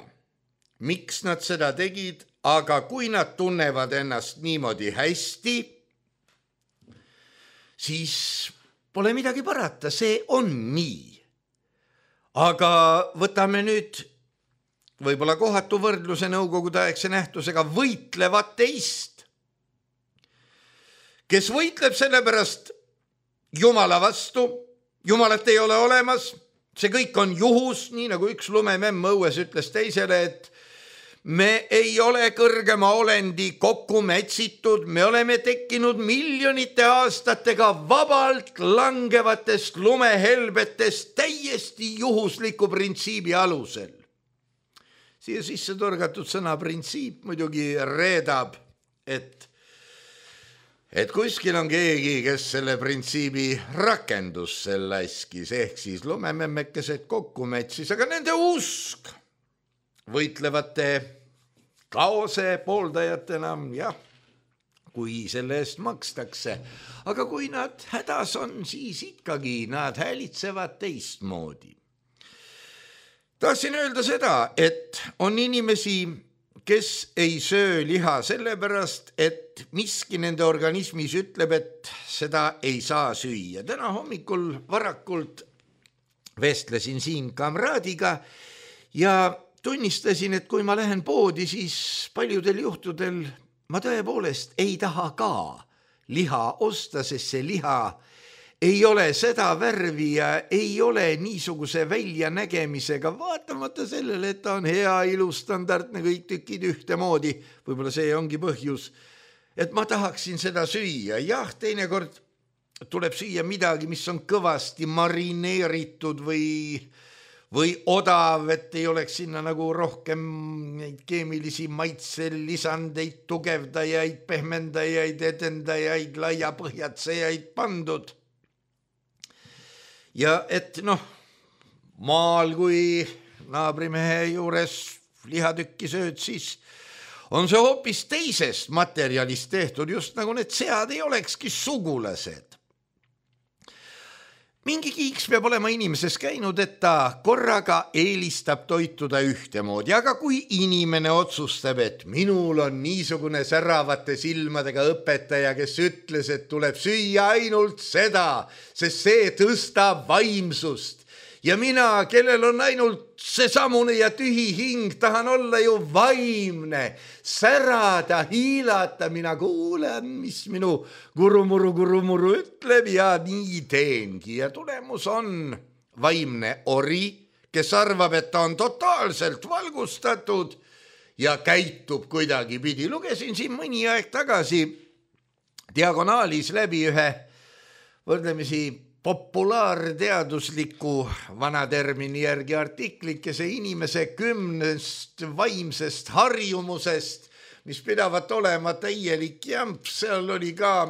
miks nad seda tegid, aga kui nad tunnevad ennast niimoodi hästi, siis pole midagi parata, see on nii. Aga võtame nüüd võib-olla kohatu võrdluse nõukogudeaegse nähtusega võitlevat teist, kes võitleb sellepärast Jumala vastu, Jumalat ei ole olemas, see kõik on juhus, nii nagu üks lumememm õues ütles teisele, et me ei ole kõrgema olendi kokku mätsitud, me oleme tekkinud miljonite aastatega vabalt langevatest lumehelbetest täiesti juhusliku printsiibi alusel. Siia sisse torgatud sõna printsiip muidugi reedab, et kuskil on keegi, kes selle printsiibi rakendusse laskis, ehk siis lumememmekesed kokku mätsis, aga nende usk võitlevate kaose pooldajatena, jah, kui selle eest makstakse. Aga kui nad hädas on, siis ikkagi nad häälitsevad teistmoodi. Tahtsin öelda seda, et on inimesi, kes ei söö liha sellepärast, et miski nende organismis ütleb, et seda ei saa süüa. Täna hommikul varakult vestlesin siin kamraadiga ja tunnistasin, et kui ma lähen poodi, siis paljudel juhtudel ma tõepoolest ei taha ka liha osta, sest see liha ei ole seda värvi ja ei ole niisuguse väljanägemisega, vaatamata sellele, et ta on hea, ilus, standardne, kõik tükid ühtemoodi. Võib-olla see ongi põhjus, et ma tahaksin seda süüa. Jah, teinekord tuleb süüa midagi, mis on kõvasti marineeritud või odav, et ei oleks sinna nagu rohkem neid keemilisi maitselisandeid, tugevdajaid, pehmendajaid, edendajaid, laiapõhjatsejaid pandud. Ja et maal kui naabrimehe juures lihatükki sööd, siis on see hoopis teisest materjalist tehtud, just nagu need sead ei olekski sugulased. Mingi kiiks peab olema inimeses käinud, et ta korraga eelistab toituda ühtemoodi, aga kui inimene otsustab, et minul on niisugune säravate silmadega õpetaja, kes ütles, et tuleb süüa ainult seda, sest see tõstab vaimsust. Ja mina, kellel on ainult seesamune ja tühi hing, tahan olla ju vaimne, särada, hiilata, mina kuulen, mis minu gurumuru ütleb ja nii teengi. Ja tulemus on vaimne ori, kes arvab, et ta on totaalselt valgustatud ja käitub kuidagi pidi. Lugesin siin mõni aeg tagasi diagonaalis läbi ühe võrdlemisi populaarteadusliku vana termini järgi artiklikese inimese 10 vaimsest harjumusest, mis pidavat olema täielik jamp. Seal oli ka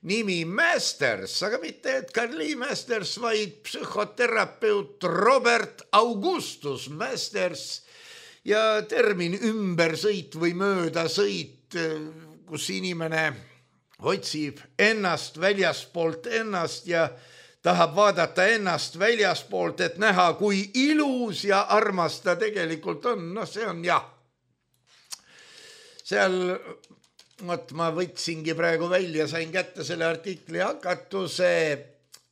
nimi Masters, aga mitte Edgar Lee Masters, vaid psühhoterapeut Robert Augustus Masters ja termin ümbersõit või möödasõit, kus inimene otsib ennast väljaspoolt ennast ja tahab vaadata ennast väljaspoolt, et näha, kui ilus ja armas ta tegelikult on. See on jah. Seal, ma võtsingi praegu välja, sain kätte selle artikli hakatuse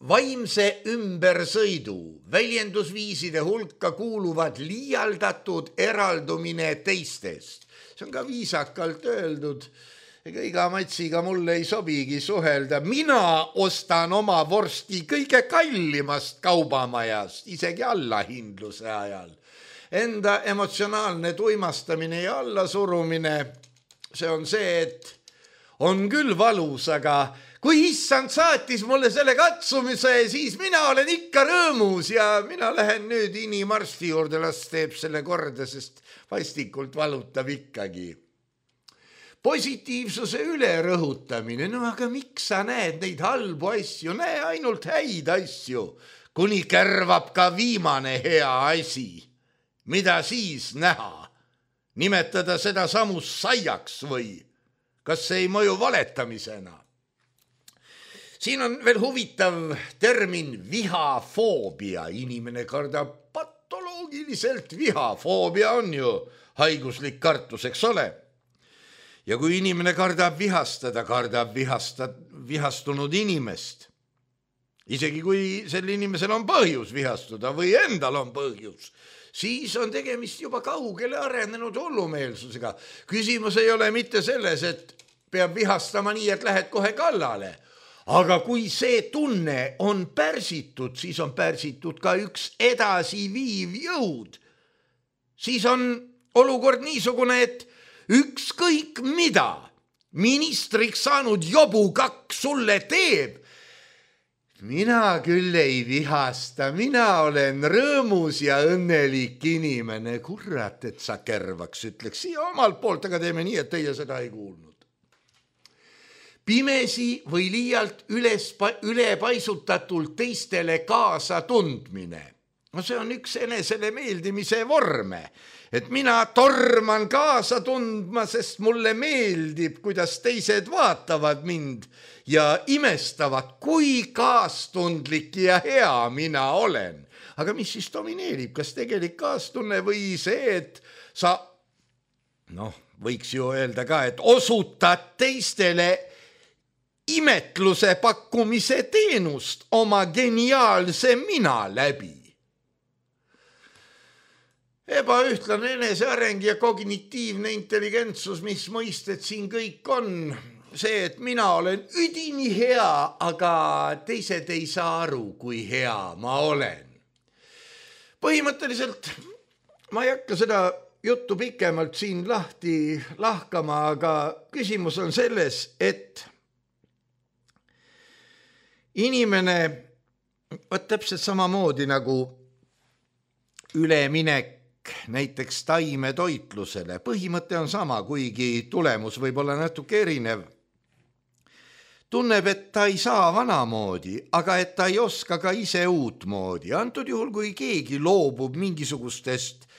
vaimse ümbersõidu. Väljendusviiside hulka kuuluvad liialdatud eraldumine teistest. See on ka viisakalt öeldud. ega iga matsiga mulle ei sobigi suhelda. Mina ostan oma vorsti kõige kallimast kaubamajast, isegi allahindluse ajal. Enda emotsionaalne tuimastamine ja allasurumine, see on see, et on küll valus, aga kui issand saatis mulle selle katsumise, siis mina olen ikka rõõmus ja mina lähen nüüd inimarsti juurde, las teeb selle korda, sest vastikult valutab ikkagi. Positiivsuse ülerõhutamine, no aga miks sa näed neid halbu asju, näe ainult häid asju, kuni kärvab ka viimane hea asi. Mida siis näha? Nimetada seda samus saiaks või? Kas see ei mõju valetamisena? Siin on veel huvitav termin vihafoobia. Inimene kardab patoloogiliselt viha. Foobia on ju haiguslik kartus, eks ole? Ja kui inimene kardab vihastada, kardab vihastunud inimest. Isegi kui sel inimesel on põhjus vihastuda või endal on põhjus, siis on tegemist juba kaugele arenenud hullumeelsusega. Küsimus ei ole mitte selles, et peab vihastama nii, et lähed kohe kallale. Aga kui see tunne on pärsitud, siis on pärsitud ka üks edasiviiv jõud. Siis on olukord niisugune, et ükskõik mida ministriks saanud jobukakk sulle teeb, mina küll ei vihasta, mina olen rõõmus ja õnnelik inimene. Kurat, et sa kärvaks, ütleks siia omalt poolt, aga teeme nii, et teie seda ei kuulnud. Pimesi või liialt ülepaisutatult teistele kaasa tundmine. No see on üks enesele meeldimise vorme, et mina torman kaasa tundma, sest mulle meeldib, kuidas teised vaatavad mind ja imestavad, kui kaastundlik ja hea mina olen. Aga mis siis domineerib, kas tegelik kaastunne või see, et sa, võiks ju öelda ka, et osutad teistele imetluse pakkumise teenust oma geniaalse mina läbi. Ebaühtlane eneseareng ja kognitiivne intelligentsus, mis mõisted siin kõik on, see, et mina olen üdini hea, aga teised ei saa aru, kui hea ma olen. Põhimõtteliselt ma ei hakka seda juttu pikemalt siin lahti lahkama, aga küsimus on selles, et inimene, täpselt samamoodi nagu üleminek näiteks taimetoitlusele. Põhimõte on sama, kuigi tulemus võib olla natuke erinev. Tunneb, et ta ei saa vanamoodi, aga et ta ei oska ka ise uutmoodi. Antud juhul, kui keegi loobub mingisugustest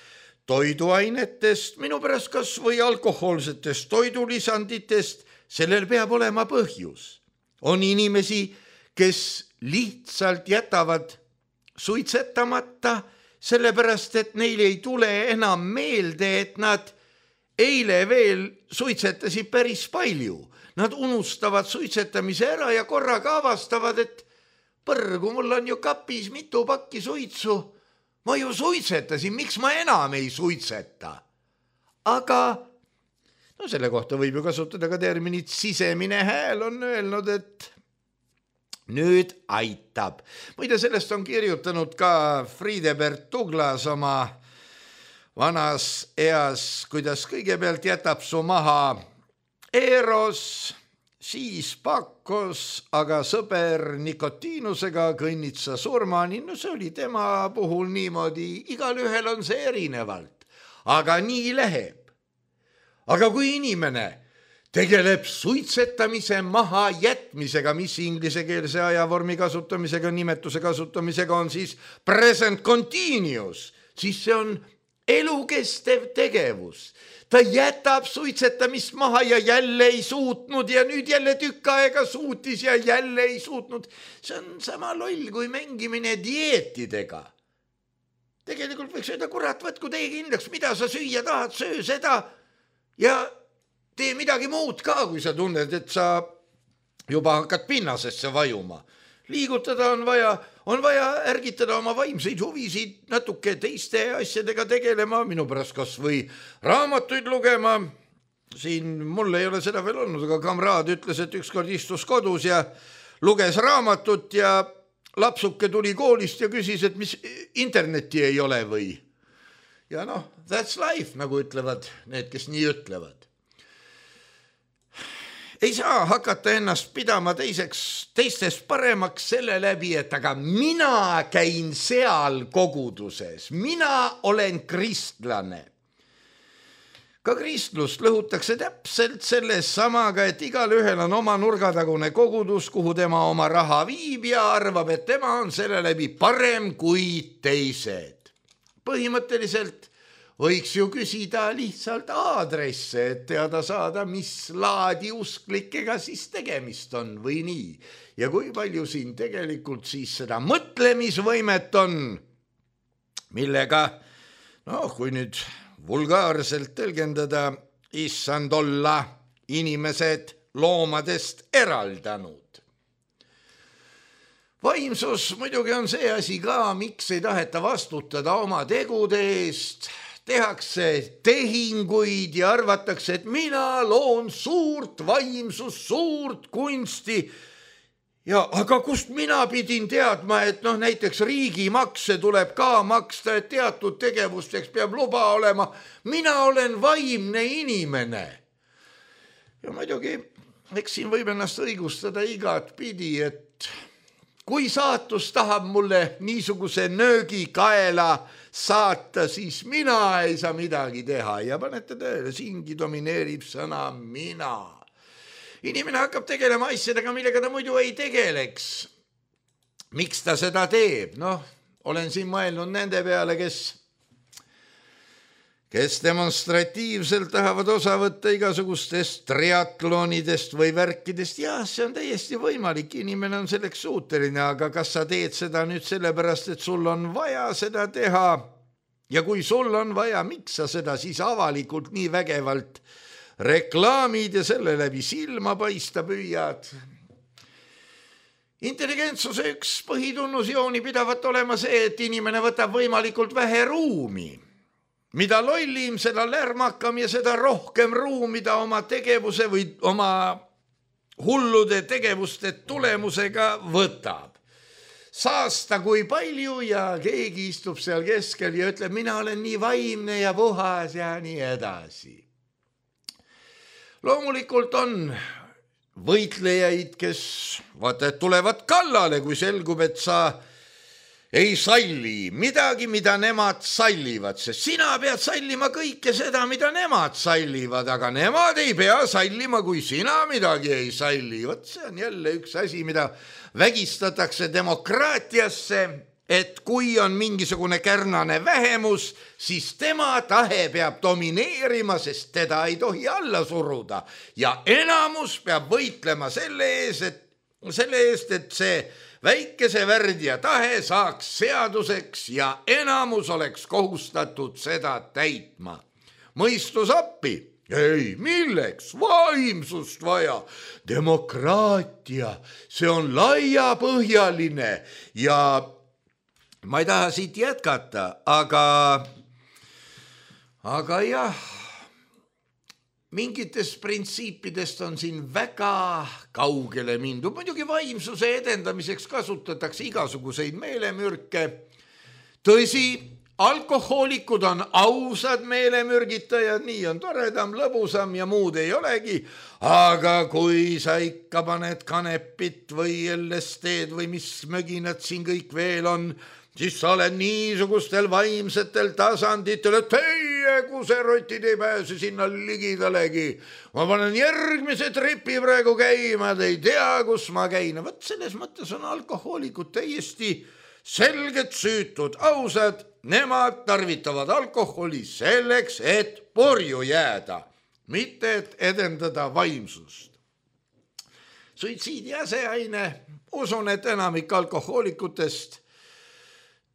toiduainetest, minu pärast kas või alkohoolsetest toidulisanditest, sellel peab olema põhjus. On inimesi, kes lihtsalt jätavad suitsetamata, sellepärast, et neil ei tule enam meelde, et nad eile veel suitsetasid päris palju. Nad unustavad suitsetamise ära ja korraga avastavad, et põrgu, mul on ju kapis mitu pakki suitsu. Ma ju suitsetasin, miks ma enam ei suitseta? Aga selle kohta võib ju kasutada ka terminit sisemine hääl on öelnud, et nüüd aitab. Muide, sellest on kirjutanud ka Friedebert Douglas oma vanas eas, kuidas kõigepealt jätab su maha Eros, siis Pakos, aga sõber nikotiinusega kõnnid sa surmani. No see oli tema puhul niimoodi, igal ühel on see erinevalt, aga nii läheb. Aga kui inimene tegeleb suitsetamise maha jätmisega, mis inglisekeelse ajavormi kasutamisega, nimetuse kasutamisega on siis present continuous, siis see on elukestev tegevus. Ta jätab suitsetamist maha ja jälle ei suutnud ja nüüd jälle tükk aega suutis ja jälle ei suutnud. See on sama loll kui mängimine dieetidega. Tegelikult võiks öelda, kurat, võtku tee kindlaks, mida sa süüa tahad, söö seda ja tee midagi muud ka, kui sa tunned, et sa juba hakkad pinnasesse vajuma. Liigutada on vaja ärgitada oma vaimseid huvisid natuke teiste asjadega tegelema, minu pärast kas või raamatuid lugema, siin mul ei ole seda veel olnud, aga kamraad ütles, et ükskord istus kodus ja luges raamatut ja lapsuke tuli koolist ja küsis, et mis internetti ei ole või. Ja noh, that's life, nagu ütlevad need, kes nii ütlevad. Ei saa hakata ennast pidama teistest paremaks selle läbi, et aga mina käin seal koguduses, mina olen kristlane. Ka kristlust lõhutakse täpselt selles samaga, et igal ühel on oma nurgatagune kogudus, kuhu tema oma raha viib ja arvab, et tema on selle läbi parem kui teised. Põhimõtteliselt võiks ju küsida lihtsalt aadresse, et teada saada, mis laadi usklikega siis tegemist on või nii. Ja kui palju siin tegelikult siis seda mõtlemisvõimet on, millega, kui nüüd vulgaarselt tõlgendada, issand olla inimesed loomadest eraldanud. Vaimsus muidugi on see asi ka, miks ei taheta vastutada oma tegude eest. Tehakse tehinguid ja arvatakse, et mina loon suurt vaimsust, suurt kunsti. Ja aga kust mina pidin teadma, et näiteks riigimakse tuleb ka maksta, et teatud tegevusteks peab luba olema. Mina olen vaimne inimene. Ja muidugi, eks siin võib ennast õigustada igat pidi, et kui saatus tahab mulle niisuguse nöögi kaela saata, siis mina ei saa midagi teha. Ja panete tõele, siingi domineerib sõna mina. Inimene hakkab tegelema asjadega, millega ta muidu ei tegeleks. Miks ta seda teeb? Olen siin mõelnud nende peale, kes demonstratiivselt tahavad osa võtta igasugustest triatlonidest või värkidest. Ja see on täiesti võimalik, inimene on selleks suuteline, aga kas sa teed seda nüüd sellepärast, et sul on vaja seda teha? Ja kui sul on vaja, miks sa seda siis avalikult nii vägevalt reklaamid ja selle läbi silma paista püüad? Intelligentsuse üks põhitunnusjooni pidavat olema see, et inimene võtab võimalikult vähe ruumi. Mida lollim, seda lärmakam ja seda rohkem ruumi ta oma tegevuse või oma hullude tegevuste tulemusega võtab. Saasta kui palju ja keegi istub seal keskel ja ütleb, mina olen nii vaimne ja puhas ja nii edasi. Loomulikult on võitlejaid, kes tulevad kallale, kui selgub, et sa ei salli midagi, mida nemad sallivad, sest sina pead sallima kõike seda, mida nemad sallivad, aga nemad ei pea sallima, kui sina midagi ei salli. Vot see on jälle üks asi, mida vägistatakse demokraatiasse, et kui on mingisugune kärnane vähemus, siis tema tahe peab domineerima, sest teda ei tohi alla suruda. Ja enamus peab võitlema selle eest, et see väikese värdja tahe saaks seaduseks ja enamus oleks kohustatud seda täitma. Mõistus appi. Ei, milleks? Vaimsust vaja. Demokraatia, see on laiapõhjaline ja ma ei taha siit jätkata, aga jah, mingitest printsiipidest on siin väga kaugele mindud. Muidugi vaimsuse edendamiseks kasutatakse igasuguseid meelemürke. Tõsi, alkohoolikud on ausad meelemürgitajad, nii on toredam, lõbusam ja muud ei olegi. Aga kui sa ikka paned kanepit või LSD-d või mis möginad siin kõik veel on, siis sa oled niisugustel vaimsetel tasanditel, et teie kuserotid ei pääse sinna ligidalegi. Ma panen järgmise tripi praegu käima, te ei tea, kus ma käin. Võt selles mõttes on alkohoolikud täiesti selged süütud, ausad. Nemad tarvitavad alkoholi selleks, et purju jääda, mitte et edendada vaimsust. Suitsiidi aseaine, usun, et enamik alkohoolikutest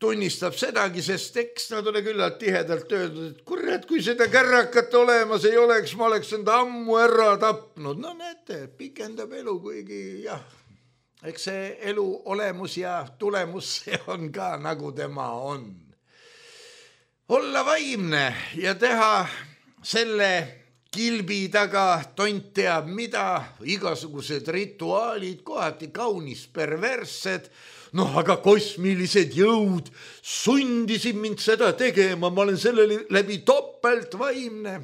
tunnistab sedagi, sest eks nad ole küllalt tihedalt öeldud, et kurat, kui seda kärrakat olemas ei oleks, ma oleks enda ammu ära tapnud. No näete, pikendab elu, kuigi jah, eks see elu olemus ja tulemus see on ka nagu tema on. Olla vaimne ja teha selle kilbi taga, tont teab mida, igasugused rituaalid, kohati kaunis perverssed. Noh, aga kosmilised jõud sundisid mind seda tegema, ma olen selle läbi topelt vaimne.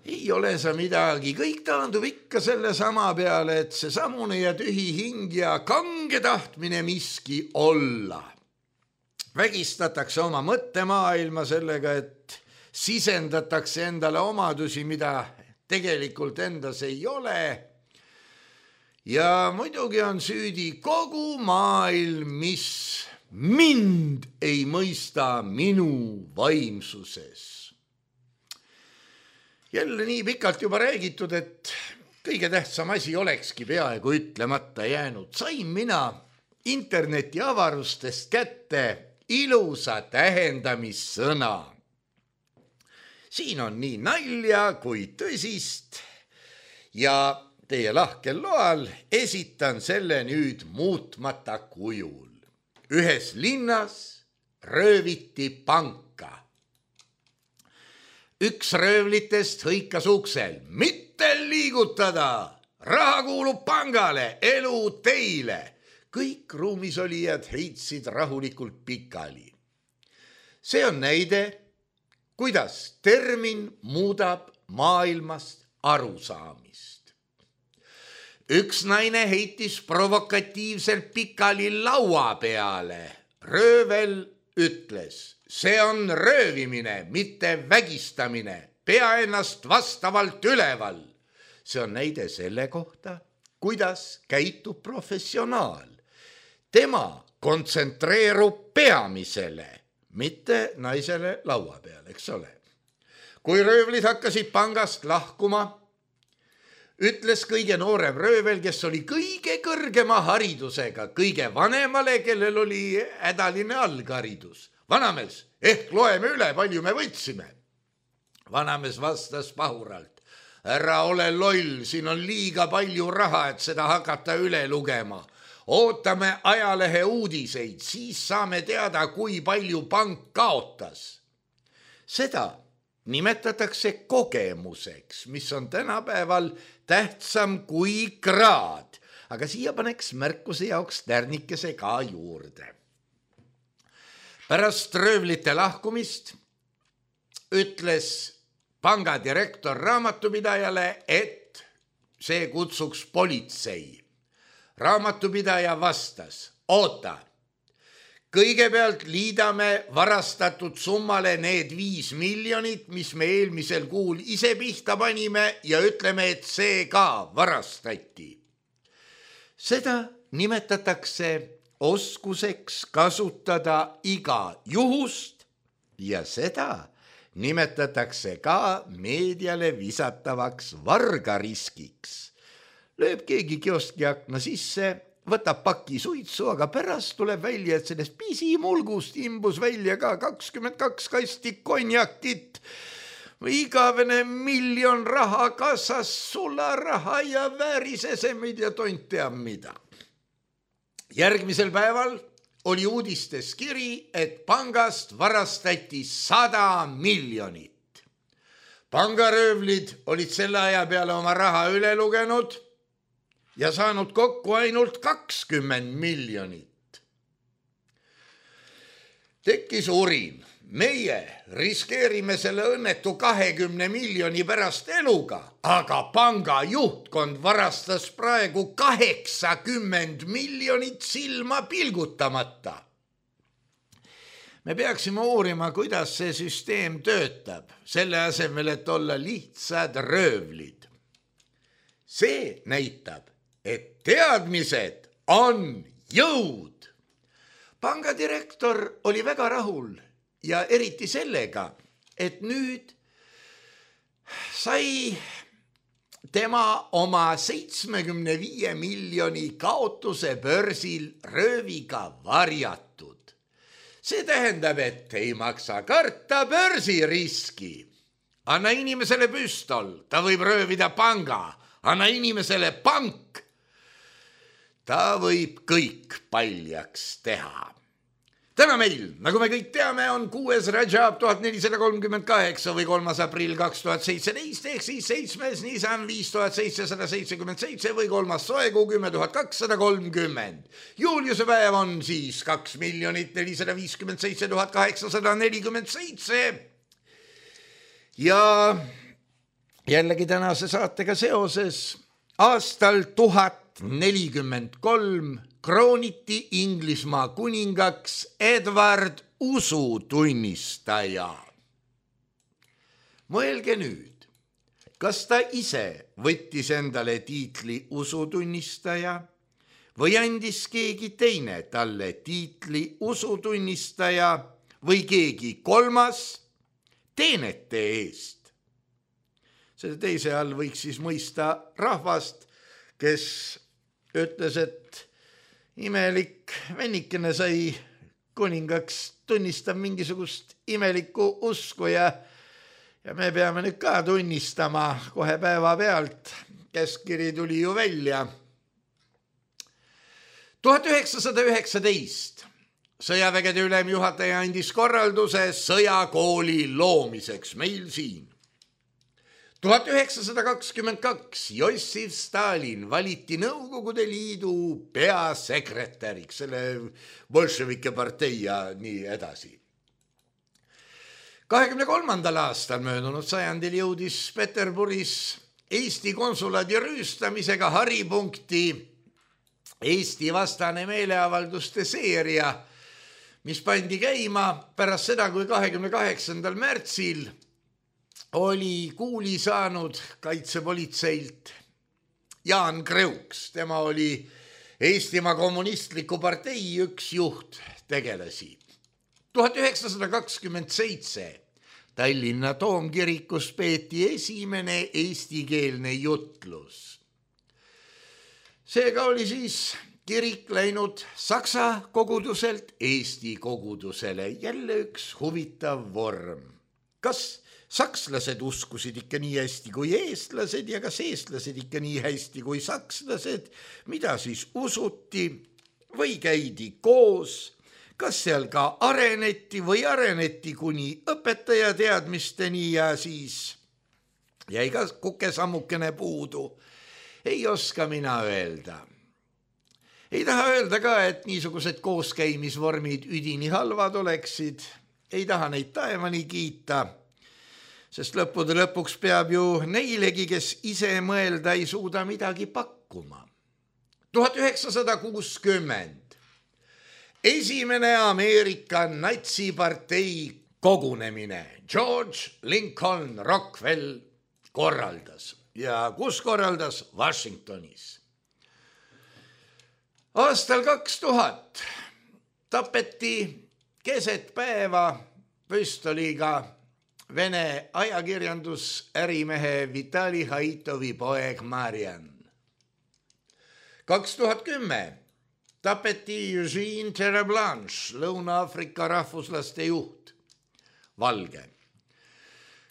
Ei ole sa midagi, kõik taandub ikka selle sama peale, et see samune ja tühi hing ja kange tahtmine miski olla. Vägistatakse oma mõttemaailma sellega, et sisendatakse endale omadusi, mida tegelikult endas ei ole. Ja muidugi on süüdi kogu maailm, mis mind ei mõista minu vaimsuses. Jälle nii pikalt juba räägitud, et kõige tähtsam asi olekski peaaegu ütlemata jäänud. Sain mina interneti avarustest kätte ilusa tähendamissõna. Siin on nii nalja kui tõsist ja teie lahkel loal esitan selle nüüd muutmata kujul. Ühes linnas rööviti panka. Üks röövlitest hõikas uksel, mitte liigutada, raha kuulub pangale, elu teile. Kõik ruumis olijad heitsid rahulikult pikali. See on näide, kuidas termin muudab maailmast arusaamist. Üks naine heitis provokatiivselt pikali laua peale. Röövel ütles, see on röövimine, mitte vägistamine, pea ennast vastavalt üleval. See on näide selle kohta, kuidas käitub professionaal. Tema kontsentreerub peamisele, mitte naisele laua peale, eks ole. Kui röövlid hakkasid pangast lahkuma, ütles kõige noorem röövel, kes oli kõige kõrgema haridusega, kõige vanemale, kellel oli hädaline algharidus. Vanamees, ehk loeme üle, palju me võtsime. Vanamees vastas pahuralt, ära ole loll, siin on liiga palju raha, et seda hakata üle lugema. Ootame ajalehe uudiseid, siis saame teada, kui palju pank kaotas. Seda nimetatakse kogemuseks, mis on tänapäeval tähtsam kui kraad, aga siia paneks märkuse jaoks tärnikese ka juurde. Pärast röövlite lahkumist ütles panga direktor raamatupidajale, et see kutsuks politsei. Raamatupidaja vastas, oota, kõigepealt liidame varastatud summale need 5 miljonit, mis me eelmisel kuul ise pihta panime ja ütleme, et see ka varastati. Seda nimetatakse oskuseks kasutada iga juhust ja seda nimetatakse ka meediale visatavaks vargariskiks. Lööb keegi kioski akna sisse, võtab paki suitsu, aga pärast tuleb välja, et sellest pisimulgust imbus välja ka 22 kasti konjakit. Igavene 1 miljon raha kassas, sularaha ja väärisesemid ja tont teab mida. Järgmisel päeval oli uudistes kiri, et pangast varastati 100 miljonit. Pangaröövlid olid selle aja peale oma raha üle lugenud ja saanud kokku ainult 20 miljonit. Tekkis urin. Meie riskeerime selle õnnetu 20 miljoni pärast eluga, aga panga juhtkond varastas praegu 80 miljonit silma pilgutamata. Me peaksime uurima, kuidas see süsteem töötab, selle asemel, et olla lihtsad röövlid. See näitab, et teadmised on jõud. Pangadirektor oli väga rahul ja eriti sellega, et nüüd sai tema oma 75 miljoni kaotuse börsil rööviga varjatud. See tähendab, et ei maksa karta börsiriski. Anna inimesele püstol, ta võib röövida panga. Anna inimesele pank, ta võib kõik paljaks teha. Täna meil, nagu me kõik teame, on 6. Rajab 1438 või 3. aprill 2017 ehk siis 7. Nisan 5777 või 3. soekuu 10230. Juuliuse päev on siis 2 457 847. Ja jällegi tänase saatega seoses aastal 1043 krooniti Inglismaa kuningaks Edward usutunnistaja. Mõelge nüüd, kas ta ise võttis endale tiitli usutunnistaja või andis keegi teine talle tiitli usutunnistaja või keegi kolmas teenete eest. Selle teise all võiks siis mõista rahvast, kes ütles, et imelik vennikene sai kuningaks, tunnistab mingisugust imelikku usku ja me peame nüüd ka tunnistama kohe päeva pealt. Käskkiri tuli ju välja. 1919 sõjavägede ülemjuhataja andis korralduse sõjakooli loomiseks meil siin. 1922 Jossif Stalin valiti Nõukogude Liidu peasekretäriks, selle bolševike partei ja nii edasi. 23. aastal möödunud sajandil jõudis Peterburis Eesti konsulaadi rüüstamisega haripunkti Eesti vastane meeleavalduste seeria, mis pandi käima pärast seda, kui 28. märtsil oli kuuli saanud kaitsepolitseilt Jaan Kreuks. Tema oli Eestimaa kommunistliku partei üks juhttegelasi. 1927 Tallinna Toomkirikus peeti esimene eestikeelne jutlus. Seega oli siis kirik läinud saksa koguduselt Eesti kogudusele. Jälle üks huvitav vorm. Kas sakslased uskusid ikka nii hästi kui eestlased ja kas eestlased ikka nii hästi kui sakslased, mida siis usuti või käidi koos, kas seal ka areneti või areneti kuni õpetaja teadmisteni ja siis jäi ka kukesammukene puudu. Ei oska mina öelda. Ei taha öelda ka, et niisugused kooskäimisvormid üdini halvad oleksid. Ei taha neid taevani kiita. Sest lõppude lõpuks peab ju neilegi, kes ise mõelda ei suuda midagi pakkuma. 1960. Esimene Ameerika natsipartei kogunemine George Lincoln Rockwell korraldas. Ja kus korraldas? Washingtonis. Aastal 2000 tapeti keset päeva püstoliga Vene ajakirjandusärimehe Vitali Haitovi poeg Marian. 2010 tapeti Eugene Terreblanche, Lõuna-Aafrika rahvuslaste juht, valge.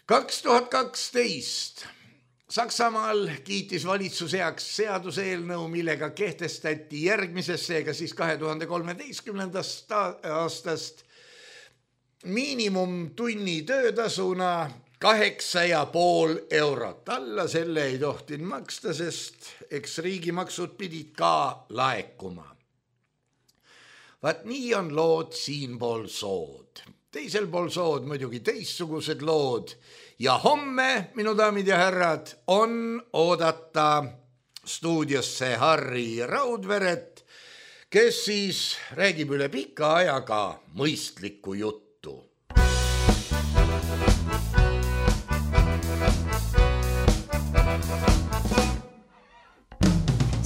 2012 Saksamaal kiitis valitsus heaks seaduseelnõu, millega kehtestati järgmisesse, ega siis 2013. aastast miinimumtunni töötasuna 8,5 eurot. Alla selle ei tohtinud maksta, sest eks riigimaksud pidid ka laekuma. Vaat nii on lood siinpool sood. Teisel pool sood muidugi teistsugused lood. Ja homme, minu daamid ja härrad, on oodata stuudiosse Harri Raudveret, kes siis räägib üle pika ajaga mõistlikku juttu.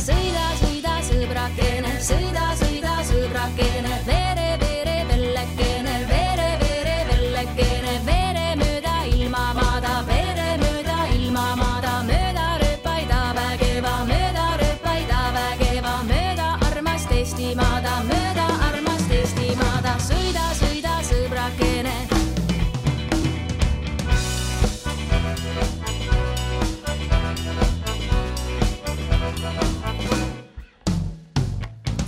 Sõida, sõida, sõbrakene, sõida, sõida, sõbrakene, vere, vere, vellekene, vere, vere, vellekene, vere mööda ilmamaada, vere mööda ilmamaada, mööda rööpaida vägeva, mööda rööpaida vägeva, mööda armast Eestimaada, mööda armast Eestimaada, sõida, sõida, sõbrakene.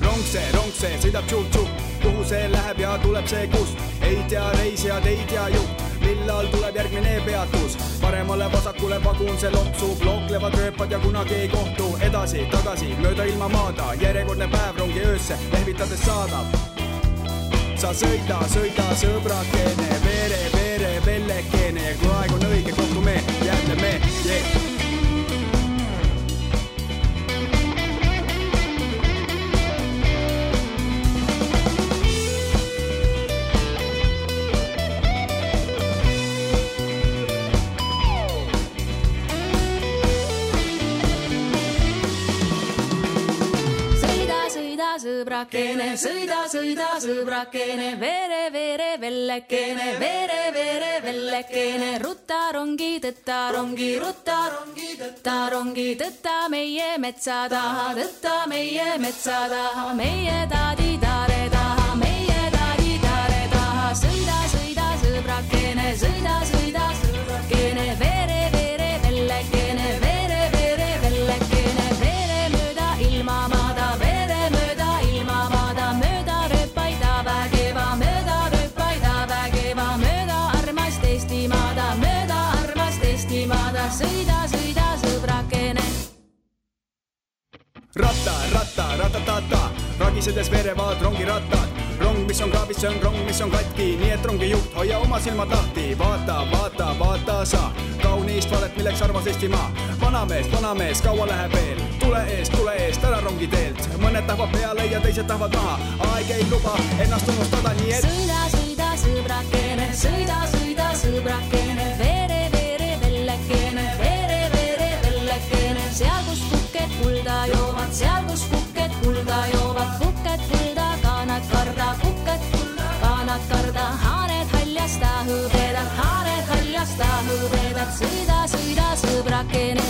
Rongse, sõidab tšup-tšup, kuhu kuhu see läheb ja tuleb see kust. Ei tea reisijad, ei tea juht, millal tuleb järgmine peatus. Paremale vasakule vagun see loksub, looklevad rööpad ja kunagi ei kohtu. Edasi, tagasi, mööda ilma maada, järjekordne päev rongi öösse lehvitades saadab. Sa sõida, sõbrakene, vere, vellekene. Ja kui aeg on õige, kohtume, jälle me, yeah. Sõbrakene, sõida, sõbrakene, vere, vellekene, vere, vellekene, rutta rongi, tõtta rongi, tõtta meie metsa taha, meie taadi taare taha, sõida, sõbrakene, sõida, sõbrakene, vere, vellekene, vere, vellekene, vere mööda ilma maada, sõida, sõbrakene. Ratta, ragisedes verevad rongirattad. Rong, mis on kraavis, see on rong, mis on katki. Nii et rongi juht, hoia oma silmad lahti. Vaata sa, kaunist valet, milleks armas Eestimaa. Vanamees, kaua läheb veel. Tule eest, ära rongi teelt. Mõned tahvad peale ja teised tahvad maha. Aeg ei luba ennast unustada, nii et sõida, sõbrakene, sõida, sõbrakene, vere, vellekene, seal kus kuked kulda joovad, kuked kulda, kaanad karda, haaned haljasta hõbedad, sõida, sõbrakene.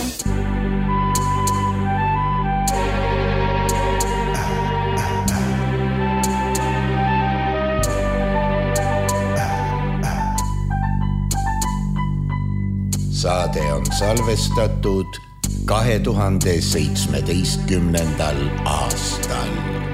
Saade on salvestatud 2017. aastal.